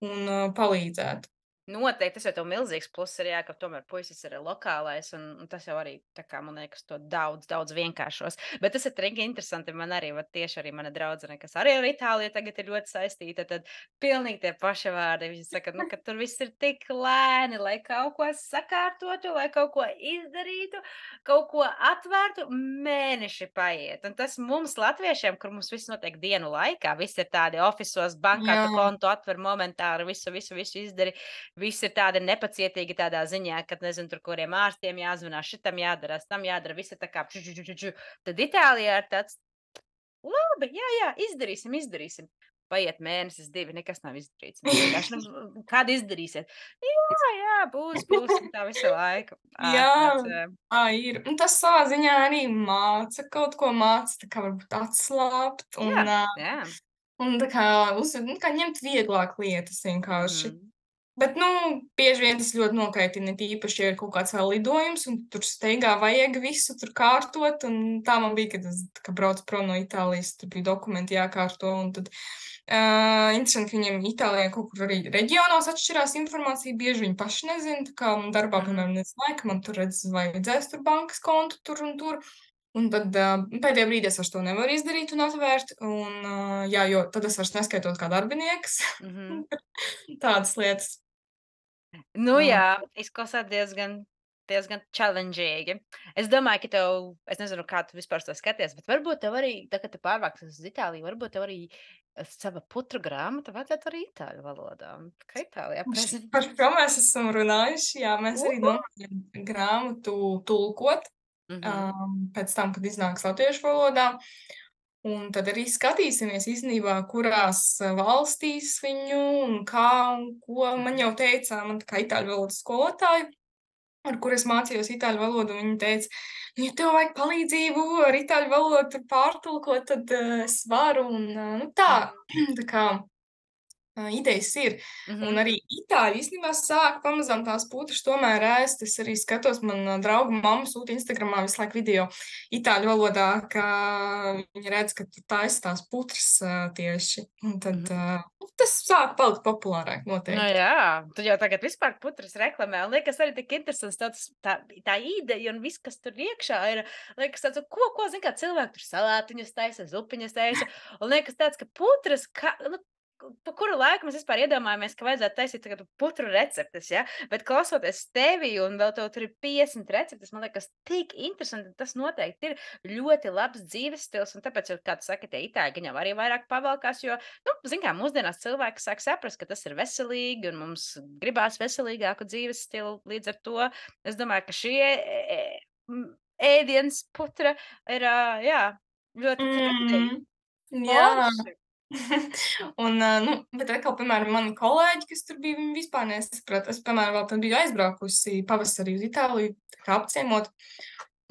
un palīdzēt. Noteikti, tas jau tev milzīgs pluss ir, jā, ka tomēr puisis ir lokālais, un tas jau arī, tā kā, man liekas, to daudz vienkāršos. Bet tas ir trīgi interesanti, man arī, tieši arī mana draudzene, kas arī ar Itāliju tagad ir ļoti saistīta, tad pilnīgi tie paši vārdi. Viņi saka, ka tur viss ir tik lēni, lai kaut ko sakārtotu, lai kaut ko izdarītu, kaut ko atvērtu, mēneši paiet. Un tas mums, latviešiem, kur mums viss notiek dienu laikā, viss ir tādi ofisos, bankā, tu kontu atver momentāri, visu izdari. Viss ir tādi nepacietīgi tādā ziņā, kad, nezinu, tur kuriem ārstiem jāzvanās, šitam jādara, tam jādara, viss ir tā kā Tad Itālijā ir tāds, labi, jā, izdarīsim. Paiet mēnesis, 2, nekas nav izdarīts. Vienkārši, kādu izdarīsiet? Jā, būs, tā visu laiku. Jā, ir. Un tas savā ziņā arī māca kaut ko, tā kā varbūt atslābt. Un tā kā ņemt vieglāk lietas vienkārši. Bet, bieži vien tas ļoti nokaitina, tīpaši, ja ir kaut kāds vēl lidojums, un tur steigā vajag visu tur kārtot, un tā man bija, kad braucu prom no Itālijas, tur bija dokumenti jākārto, un tad interesanti, ka viņiem Itālijā kaut kur arī reģionos atšķirās informācija, bieži viņi paši nezina, tā kā man darbā, piemēram, nezināja, ka man tur vajadzēs tur bankas kontu tur un tur, un tad pēdējā brīdī es vairs to nevaru izdarīt un atvērt, un jā, jo tad es vairs neskaitot kā darbinieks, tādas lietas. Jā, izklausās diezgan challenging. Es domāju, ka es nezinu, kā tu vispār to skaties, bet varbūt tev arī, kad tu pārvāksies uz Itāliju, varbūt tev arī sava putru grāmata vajadzētu arī itāļu valodā. Kā Itālijā prezentēt? Par šo mēs esam runājuši, jā, mēs arī domājam grāmatu tulkot pēc tam, kad iznāks latviešu valodā. Un tad arī skatīsimies īstenībā, kurās valstīs viņu un kā un ko. Man jau teica, man tā kā itāļu valodas skolotāja, ar kur es mācījos itāļu valodu, viņa teica, ja tev vajag palīdzību ar itāļu valodu pārtulkot, tad es varu. Un tā kā idejas ir. Un arī itāļi īstenībā sāk pamazām tās putras tomēr ēst. Es arī skatos, man drauga mamma sūta Instagramā visu laiku video itāļu valodā, ka viņa redz, ka tur taisa tās putras tieši. Un tad tas sāk palikt populārāk noteikti. Jā, tu jau tagad vispār putras reklamē. Un liekas arī tik interesants tā ideja un viss, kas tur iekšā ir. Liekas tāds, ko zin, kā cilvēki tur salātiņus taisa, zupiņas taisa. Un liekas tāds, ka putras, pa kuru laiku mēs vispār iedomājamies, ka vajadzētu taisīt tagad putru receptes, ja? Bet klausoties tevi un vēl tev tur ir 50 receptes, man liekas, tik interesanti. Tas noteikti ir ļoti labs dzīves stils, un tāpēc, jau, kā tu saki, tie itāļi gan jau arī vairāk pavalkās, jo, nu, zin kā, mūsdienās cilvēki sāk saprast, ka tas ir veselīgi, un mums gribās veselīgāku dzīves stilu. Līdz ar to es domāju, ka šie ēdienas putra ir, jā, ļoti trendy. Mm, jā. Forši. Un, nu, bet atkal, piemēram, mani kolēģi, kas tur bija, viņi vispār nesaprata. Es, piemēram, vēl tad biju aizbraukusi pavasarī uz Itāliju, tā kā apciemot.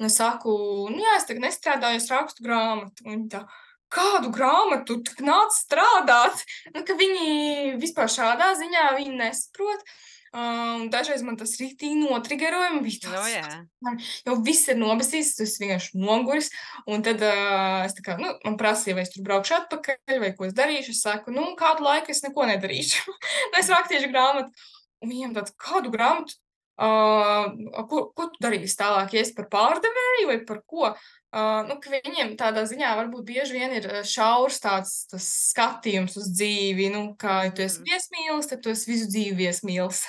Un es saku, nu jā, es tagad nestrādāju, es rakstu grāmatu. Un viņi tā, kādu grāmatu? Tu tik nāc strādāt? Nu, ka viņi vispār šādā ziņā viņi nesaprot. Dažreiz man tas rītīgi notrigeroja, un bija Nu, tāds, jā. jau viss ir nobesīs, tu esi vienkārši noguris. Un tad es tā kā, nu, man prasīja, vai es tur braukšu atpakaļ, vai ko es darīšu. Es saku, nu, kādu laiku es neko nedarīšu. Es rakstīšu grāmatu. Un viņiem tāds, kādu grāmatu? Ko tu darīsi tālāk? Ja es par pārdevēju vai par ko? Nu, ka viņiem tādā ziņā varbūt bieži vien ir šaurs tāds tas skatījums uz dzīvi. Nu, kā ja tu esi viesmīlis, tad tu esi visu dzīvi viesmīlis.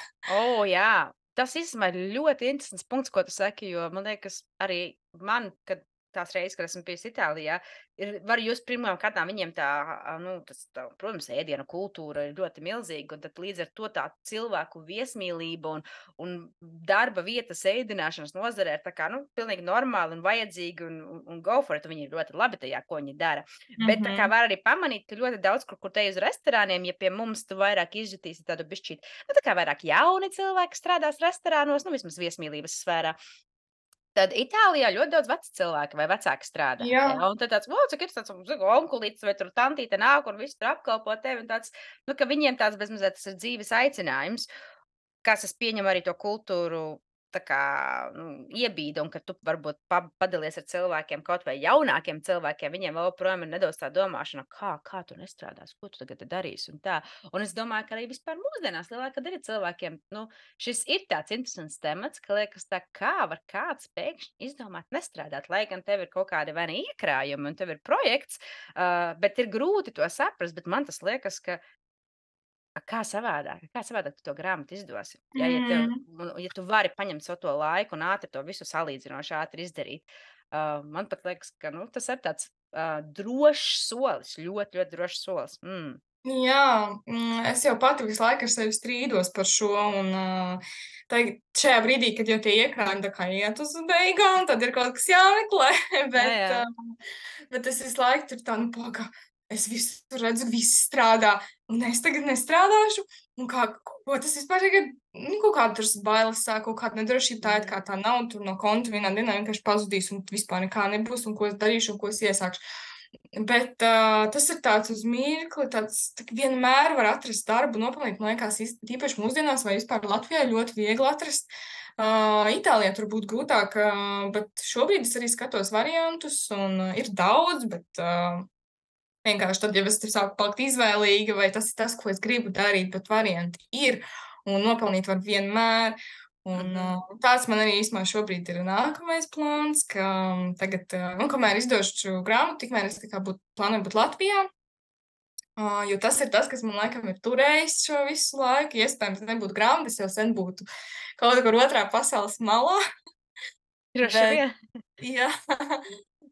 Jā. Tas īstenībā ir ļoti interesants punkts, ko tu saki, jo man liekas, arī man, kad tās reizes, kad esmu bijusi Itālijā, var just pirmām kārtām viņiem protams, ēdienu kultūra ir ļoti milzīga, un tad līdz ar to tā cilvēku viesmīlība un darba vietas ēdināšanas nozarē ir tā kā, nu, pilnīgi normāli un vajadzīgi un go for it, un viņi ir ļoti labi tajā, ko viņi dara. Bet tā kā var arī pamanīt, ka ļoti daudz, kur te uz restorāniem, ja pie mums tu vairāk izjutīsi tādu bišķīt, nu, tā kā vairāk jauni cilvēki strādās restorānos, nu, vismaz viesmīlības sfērā. Tad Itālijā ļoti daudz veci cilvēki vai vecāki strādā. Jā. Ja? Un tad tāds, cik ir tāds onkulītis vai tur tantīte nāk un viss tur apkalpo tevi. Un tāds, nu, ka viņiem tāds bezmazliet tas ir dzīves aicinājums, kas es pieņemu arī to kultūru tā kā iebīda, un ka tu varbūt padalies ar cilvēkiem, kaut vai jaunākiem cilvēkiem, viņiem vēl projām ir nedaudz tā domāšana, kā tu nestrādās, ko tu tagad darīsi un tā. Un es domāju, ka arī vispār mūsdienās lielākā daļa cilvēkiem, nu, šis ir tāds interesants temats, ka liekas tā, kā var kāds pēkšņi izdomāt nestrādāt, lai gan tev ir kaut kādi vai ne iekrājumi un tev ir projekts, bet ir grūti to saprast, bet man tas liekas, ka kā savādāk tu to grāmatu izdosi? Ja ja tu vari paņemt savu to laiku un ātri to visu salīdzinoši ātri izdarīt. Man pat liekas, ka, nu, tas ir tāds drošs solis, ļoti, ļoti drošs solis. Jā, es jau pati visu laiku ar sevi strīdos par šo, un tagad šajā brīdī, kad jau tie iekrājumi tā kā iet uz beigām, tad ir kaut kas jāmeklē, Jā. bet es visu laiku tur tā, nu, pagā, es visu redzu, viss strādā, un es tagad nestrādāšu, un ko tas vispār tagad, nu, kaut kāda tur bailes sāk, kaut kāda nedrošība, tā it kā tā nav, tur no konta vienā dienā vienkārši pazudīs, un vispār nekā nebūs, un ko es darīšu, un ko es iesākšu. Bet tas ir tāds uz mirkli, tāds vienmēr var atrast darbu, nopelnīt, man liekas, īpaši mūsdienās vai vispār Latvijā ļoti viegli atrast. Itālijā tur būtu grūtāk, bet šobrīd es arī skatos variantus, un ir daudz, bet vienkārši tad, ja es tur sāku palikt izvēlīga, vai tas ir tas, ko es gribu darīt, bet varianti ir, un nopelnīt var vienmēr. Un tāds man arī īstenībā šobrīd ir nākamais plāns, ka tagad, kamēr izdošu šo grāmatu, tikmēr es tā kā plānoju būt Latvijā, jo tas ir tas, kas man laikam ir turējis šo visu laiku. Iespējams, nebūtu grāmatas, jau sen būtu kaut kur otrā pasaules malā. Droši vien. Jā,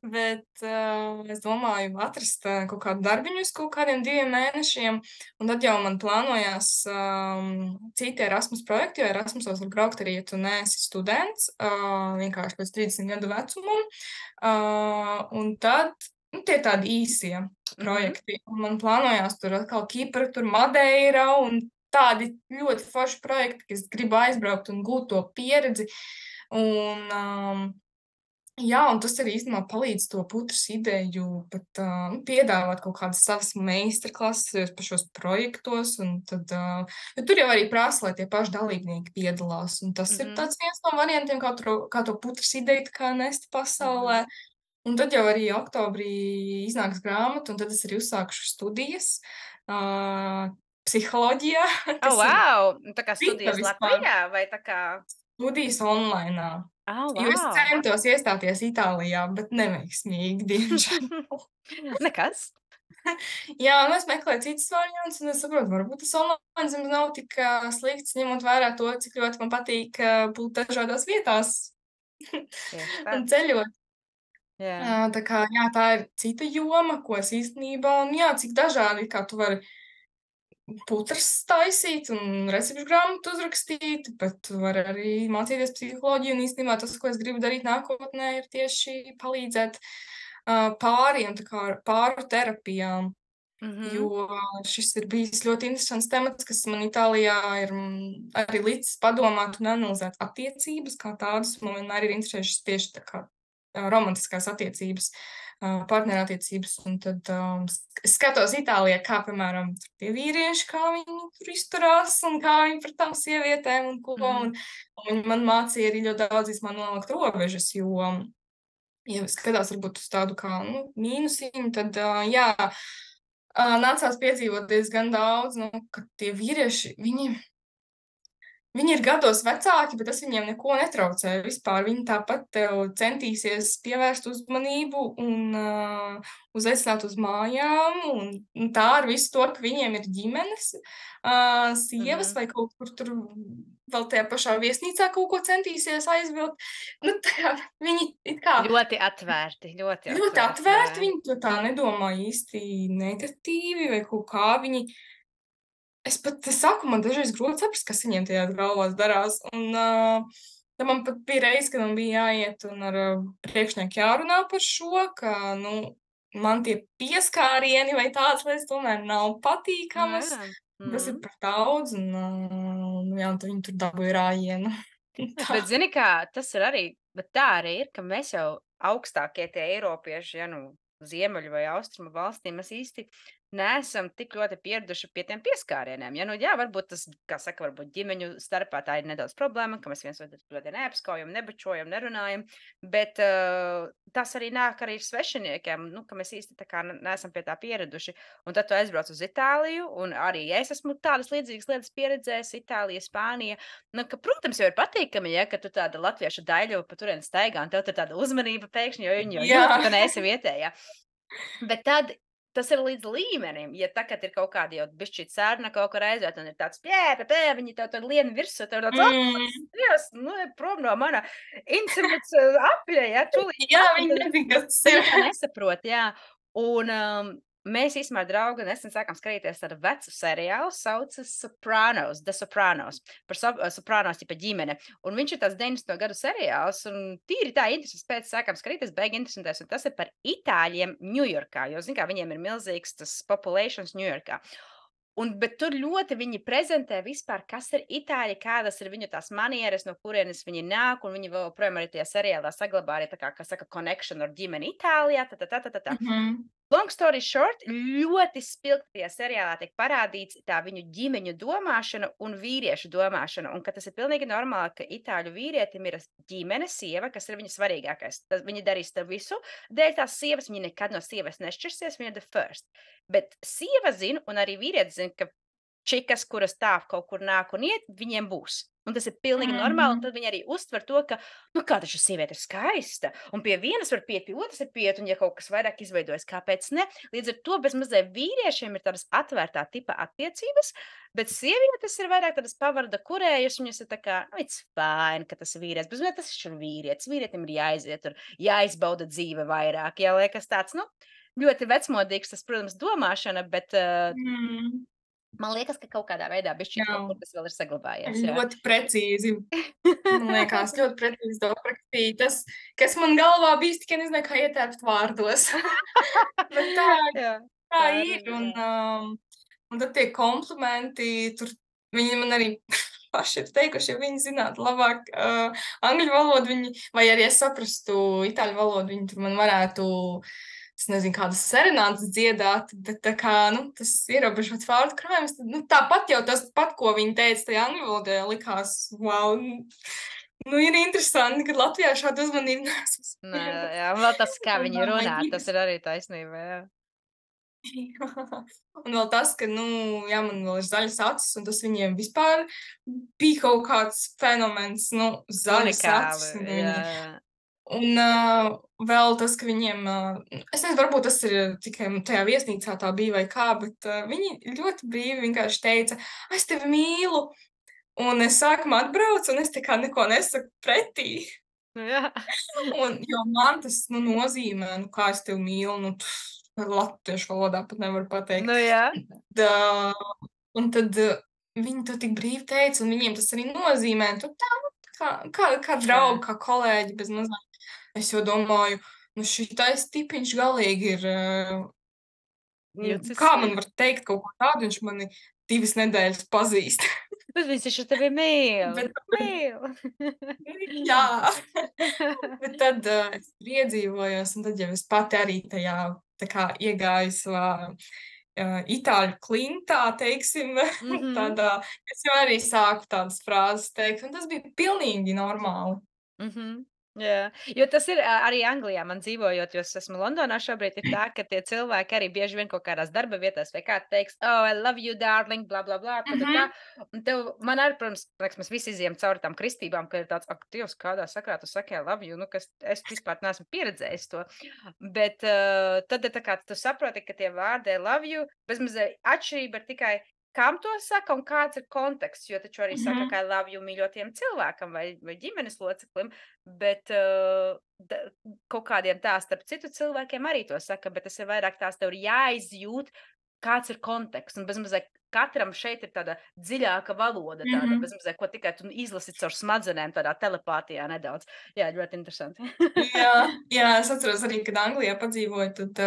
bet es domāju atrast kaut kādu darbiņu uz kaut kādiem 2 mēnešiem, un tad jau man plānojās citi Erasmus projekti, jo Erasmusos var braukt arī, ja tu neesi students, vienkārši pēc 30 gadu vecumam, un tad, nu, tie tādi īsie projekti, un man plānojās tur atkal Kipra, tur Madeira, un tādi ļoti forši projekti, kas gribu aizbraukt un gūt to pieredzi, un jā, un tas arī īstenībā palīdz to putras ideju pat piedāvāt kaut kādas savas meistarklases par šos projektos, un tad, jo tur jau arī prasa, lai tie paši dalībnieki piedalās, un tas ir tāds viens no variantiem, kā to putras ideju kā nest pasaulē. Un tad jau arī oktobrī iznāks grāmata, un tad es arī uzsākšu studijas psiholoģijā. Wow! Tā kā studijas Latvijā vai tā kā? Studijas online. Wow. Jo es centos iestāties Itālijā, bet neveiksmīgi, diemžēl. Nekas. Jā, nu, es meklēju citus variantus, un es saprotu, varbūt tas online zemes nav tik slikts, ņemot vērā to, cik ļoti man patīk būt dažādās vietās Tieši tā. un ceļot. Jā. Tā kā, jā, tā ir cita joma, ko es īstenībā, un jā, cik dažādi, kā tu vari putras taisīt un recepšu grāmatu uzrakstīt, bet tu vari arī mācīties psiholoģiju, un īstenībā tas, ko es gribu darīt nākotnē, ir tieši palīdzēt pāriem, tā kā ar pāru terapijām. Mhm. Jo šis ir bijis ļoti interesants temats, kas man Itālijā ir arī licis padomāt un analizēt attiecības kā tādas. Man vienmēr ir interesējušas tieši tā kā romantiskās attiecības, partnerattiecības. Un tad es skatos Itālijā, kā, piemēram, tur tie vīrieši, kā viņi tur izturās un kā viņi pret tām sievietēm un ko. Mhm. Un viņi man mācīja arī ļoti daudz īstenībā nolikt robežas, jo, ja skatās varbūt uz tādu kā, nu, mīnusiņu, tad, jā, nācās piedzīvot diezgan daudz, nu, ka tie vīrieši, viņi ir gados vecāki, bet tas viņiem neko netraucē vispār. Viņi tāpat tev centīsies pievērst uzmanību un uzaicināt uz mājām, un tā ar visu to, ka viņiem ir ģimenes, sievas Mhm. vai kaut kur tur vēl tajā pašā viesnīcā kaut ko centīsies aizvilkt. Nu, tā, viņi it kā Ļoti atvērti, ļoti ļoti atvērti, jā. atvērti, viņi to tā nedomā īsti negatīvi vai kaut kā viņi. Es pat saku, man dažreiz grūti saprast, kas viņiem tajās galvās darās. Un tad man pat bija reize, kad man bija jāiet un ar priekšnieku jārunā par šo, ka, nu, man tie pieskārieni vai tādas lietas tomēr nav Nu patīkamas. jā. Tas ir Mhm. par daudz, un, jā, un tad viņi tur dabūja rājienu. Tā. Bet zini, kā tas ir arī, bet tā arī ir, ka mēs jau augstākie tie eiropieši, ja nu ziemeļu vai austrumu valstīm, mēs īsti neesam tik ļoti pieraduši pie tiem pieskārieniem. Ja nu jā, varbūt tas, kā saka, varbūt ģimeņu starpā tā ir nedaudz problēma, ka mēs viens otru ļoti neapskaujam, nebučojam, nerunājam, bet tas arī nāk arī svešiniekiem, nu, ka mēs īsti tā kā neesam pie tā pieraduši. Un tad tu aizbrauc uz Itāliju, un arī es esmu tādas līdzīgas lietas pieredzējis, Itālija, Spānija. Nu, ka, protams, jau ir patīkami, ja, ka tu tāda latviešu daļu pa turieni staigā, un tev tur tāda uzmanība pēkšņi, jo viņi jau Jā. jūt, ka tu neesi vietējā. Bet tad tas ir līdz līmenim, ja tagad ir kaut kāda jau bišķīt sērna kaut kur aiziet, un ir tāds viņi tev tur lien virsū, tev tāds, Mm. Dievs, nu, ej prom no mana intimates apļa, ja, tūlīt Jā, pat, viņi nezina, kas tas viņi ir. to nesaprot, jā. Un, mēs īstenībā ar draugu nesen sākām skatīties tādu vecu seriālu, saucas Sopranos, The Sopranos, par Sopranos tipa ģimene. Un viņš ir tāds 90. gadu seriāls, un tīri tā interesants pēc sākām skatīties, beigi interesantais, un tas ir par itāļiem Ņujorkā, jo, zin kā, viņiem ir milzīgs tas populations Ņujorkā. Bet tur ļoti viņi prezentē vispār, kas ir itāļi, kādas ir viņu tās manieres, no kurienes viņi nāk, un viņi vēl joprojām arī tajā seriālā saglabā arī tā kā saka, connection ar ģimeni Itālijā, tā. Mhm. Long story short, ļoti spilgti tajā seriālā tiek parādīts tā viņu ģimeņu domāšana un vīriešu domāšana, un ka tas ir pilnīgi normāli, ka itāļu vīrietim ir ģimene, sieva, kas ir viņa svarīgākais. Viņi darīs to visu, dēļ tās sievas, viņi nekad no sievas nešķirsies, viņa ir the first. Bet sieva zina, un arī vīrietis zina, ka čikas, kuras tā kaut kur nāk un iet, viņiem būs. Un tas ir pilnīgi normāli, un Mhm. tad viņi arī uztver to, ka, nu, kā taču sieviete ir skaista, un pie vienas var piet, pie otras ir piet, un ja kaut kas vairāk izveidojas, kāpēc ne? Līdz ar to bezmazliet vīriešiem ir tādas atvērtā tipa attiecības, bet sievietes ir vairāk tādas pavarda kurējas, viņas ir tā kā, nu, it's fine, ka tas ir vīrietis, bet tas ir vīrietis, vīrietim ir jāiziet tur, jāizbauda dzīve vairāk, jāliekas tāds, nu, ļoti vecmodīgs tas, protams, domāšana, bet Mm. man liekas, ka kaut kādā veidā bišķīt Jā, kaut kur tas vēl ir saglabājies, jā. ļoti precīzi. Man liekas, ļoti precīzi to aprakstīja. Tas, kas man galvā bija, tikai nezināju, kā ietērpt vārdos. Bet Jā, tā tā arī ir. ir, jā. Un tad tie komplimenti, tur viņi man arī paši ir teikuši, ja viņi zinātu labāk angļu valodu, viņi, vai arī es saprastu itāļu valodu, viņi tur man varētu, es nezinu, kādas serenādes dziedāt, bet tā kā, nu, tas ierobežots vārdu krājums, tad, nu, tāpat jau tas pat, ko viņi teica tajā angļu valodā, likās, wow, nu, ir interesanti, ka Latvijā šādu uzmanību neesmu Nē, saņēmusi. jā, un vēl tas, kā Un, viņi runā, tas ģimenes. ir arī taisnība, jā. Un vēl tas, ka, nu, jā, man vēl ir zaļas acis, un tas viņiem vispār bija kaut kāds fenomens, nu, zaļas Unikāli, acis, un jā, viņi jā. Un vēl tas, ka viņiem, es nezinu, varbūt tas ir tikai tajā viesnīcā tā bija vai kā, bet viņi ļoti brīvi vienkārši teica, es tevi mīlu. Un es sākumā atbraucu, un es tā kā neko nesaku pretī. Jā. Jo man tas nozīmē, kā es tevi mīlu, latviešu valodā pat nevaru pateikt. Jā. Un tad viņi to tik brīvi teica, un viņiem tas arī nozīmē. Kā draugi, kā kolēģi, bez mazliet. Es jau domāju, šitais tipiņš galīgi ir. Kā man var teikt kaut ko tādu, viņš mani 2 nedēļas pazīst. Bet viņš taču tevi mīl. Jā. Bet tad es iedzīvojos, un tad jau es pati arī tajā tā kā iegāju savā itāļu klintā, teiksim, tādā, es jau arī sāku tādas frāzes teikt, un tas bija pilnīgi normāli. Jā, jo tas ir arī Anglijā man dzīvojot, jo es esmu Londonā šobrīd, ir tā, ka tie cilvēki arī bieži vien kaut kādās darba vietās vai kā teiks, oh, I love you, darling, bla, bla, bla, tā. Un tev, man arī, protams, mēs visi izjām cauri tām kristībām, ka ir tāds, ak, Dievs, kādā sakrā tu saki, I love you, kas es vispār neesmu pieredzējis to. Bet tad ir tā kā tu saproti, ka tie vārdi I love you, bezmazliet atšķirība ir tikai kam to saka un kāds ir konteksts, jo taču arī saka, ka I love you mīļotiem cilvēkam vai ģimenes loceklim, bet kaut kādiem tā starp citu cilvēkiem arī to saka, bet tas ir vairāk tās tev ir jāizjūt, kāds ir konteksts, un bezmazliet katram šeit ir tāda dziļāka valoda, tāda bezmazliet, ko tikai tu izlasi caur smadzenēm, tādā telepātijā nedaudz. Jā, ļoti interesanti. jā, es atceros arī, kad Anglijā padzīvoju, tad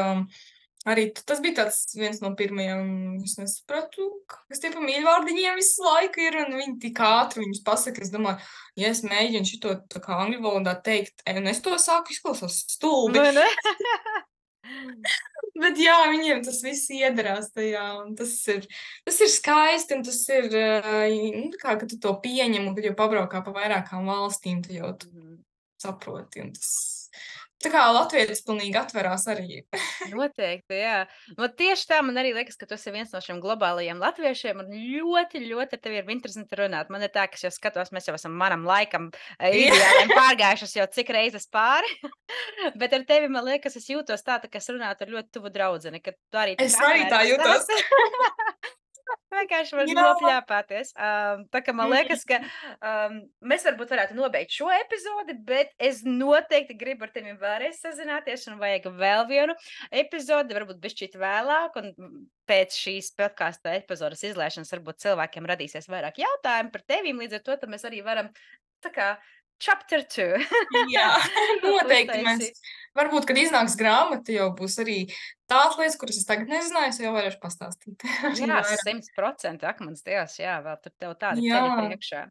arī tas bija tāds viens no pirmajiem, es nesapratu, kas tie pa mīļvārdiņiem visu laiku ir, un viņi tik ātri viņus pasaka, es domāju, ja es mēģinu šito tā kā angļu valodā teikt, un es to sāku izklausās stulbi. Bet jā, viņiem tas viss iedarās tajā, un tas ir skaisti, un tas ir, kā, ka tu to pieņem, un kad jau pabraukā pa vairākām valstīm, tu jau saproti, un tas... Tā kā latvietis pilnīgi atverās arī. Noteikti, jā. Tieši tā man arī liekas, ka tu esi viens no šiem globālajiem latviešiem un ļoti, ļoti tev ir interesanti runāt. Man ir tā, ka es jau skatos, mēs jau esam manam laikam ideāliem pārgājušas jau cik reizes pāri. Bet ar tevi, man liekas, es jūtos tā, ka es runātu ar ļoti tuvu draudzeni, ka tu arī Es arī tā jūtos. Vienkārši var nopļāpāties. Tā kā man liekas, ka mēs varbūt varētu nobeigt šo epizodi, bet es noteikti gribu ar tevi vēlreiz sazināties un vajag vēl vienu epizodi, varbūt bišķīt vēlāk, un pēc šīs podkāsta epizodas izlaišanas varbūt cilvēkiem radīsies vairāk jautājumu par tevīm, līdz ar to tad mēs arī varam tā kā chapter 2. Jā, noteikti mēs. Varbūt, kad iznāks grāmata, jau būs arī tādas lietas, kuras es tagad nezināju, es jau varēšu pastāstīt. Jā, 100%, ak, mans Dievs, jā, vēl tur tev tādi ceļi priekšā.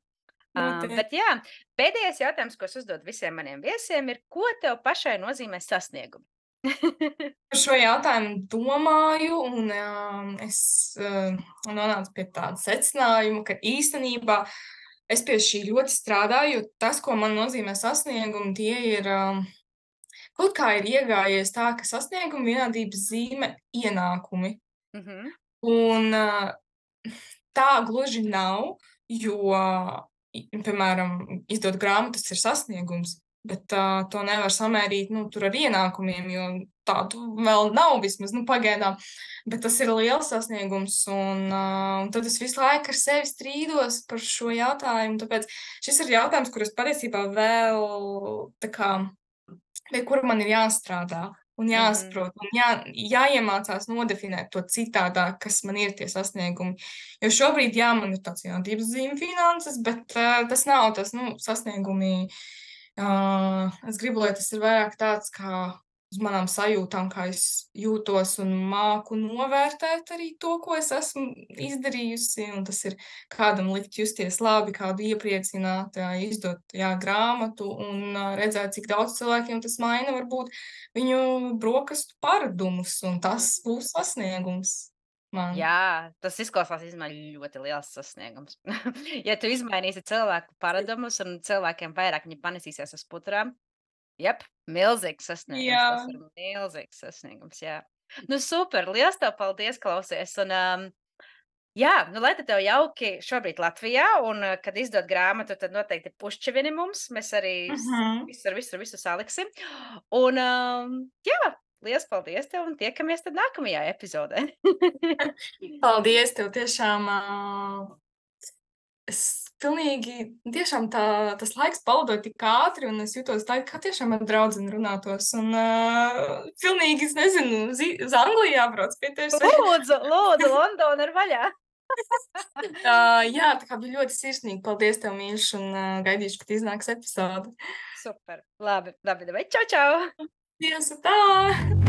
Bet jā, pēdējais jautājums, ko es uzdod visiem maniem viesiem, ir, ko tev pašai nozīmē sasniegumi? Par šo jautājumu domāju, un es nonācu pie tāda secinājuma, ka īstenībā es pie šī ļoti strādāju, jo tas, ko man nozīmē sasniegumi, tie ir, kaut kā ir iegājies tā, ka sasniegumi vienādības zīme ienākumi. Un tā gluži nav, jo, piemēram, izdot grāmatas ir sasniegums, bet to nevar samērīt, tur ar ienākumiem, jo tādu vēl nav vismaz, pagaidām. Bet tas ir liels sasniegums, un tad es visu laiku ar sevi strīdos par šo jautājumu, tāpēc šis ir jautājums, kur es patiesībā vēl, tā kā, pie kura man ir jāstrādā un jāsaprot, un jāiemācās nodefinēt to citādāk, kas man ir tie sasniegumi. Jo šobrīd, jā, man ir tāds vienādības zīme finanses, bet tas nav tas, sasniegumi. Es gribu, lai tas ir vairāk tāds, kā uz manām sajūtām, kā es jūtos un māku novērtēt arī to, ko es esmu izdarījusi, un tas ir kādam likt justies labi, kādu iepriecināt, izdot grāmatu un redzēt, cik daudz cilvēkiem tas maina varbūt viņu brokastu paradumus, un tas būs sasniegums. Man. Jā, tas izklausās ļoti liels sasniegums. Ja tu izmainīsi cilvēku paradumus un cilvēkiem vairāk viņi panesīsies uz puturām, milzīgs sasniegums. Jā. Tas ir milzīgs sasniegums, jā. Super, liels tev paldies, klausies. Un, Jā, nu, lai tad tev jauki šobrīd Latvijā, un, kad izdod grāmatu, tad noteikti pušķivini mums. Mēs arī Mhm. visu saliksim. Un, jā, liels paldies tev un tiekamies tad nākamajā epizodē. Paldies tev tiešām. Es pilnīgi, tiešām tas laiks palidoja tik ātri, un es jutos tā, kā tiešām ar draudzeni runātos. Un pilnīgi, es nezinu, uz Angliju jābrauc pie tevis. Lūdzu, Londona ir vaļā. Jā, tā kā bija ļoti sirsnīgi. Paldies tev, mīļš, un gaidīšu, kad iznāks epizode. Super. Labi, labi, čau, čau! Tiesa tā!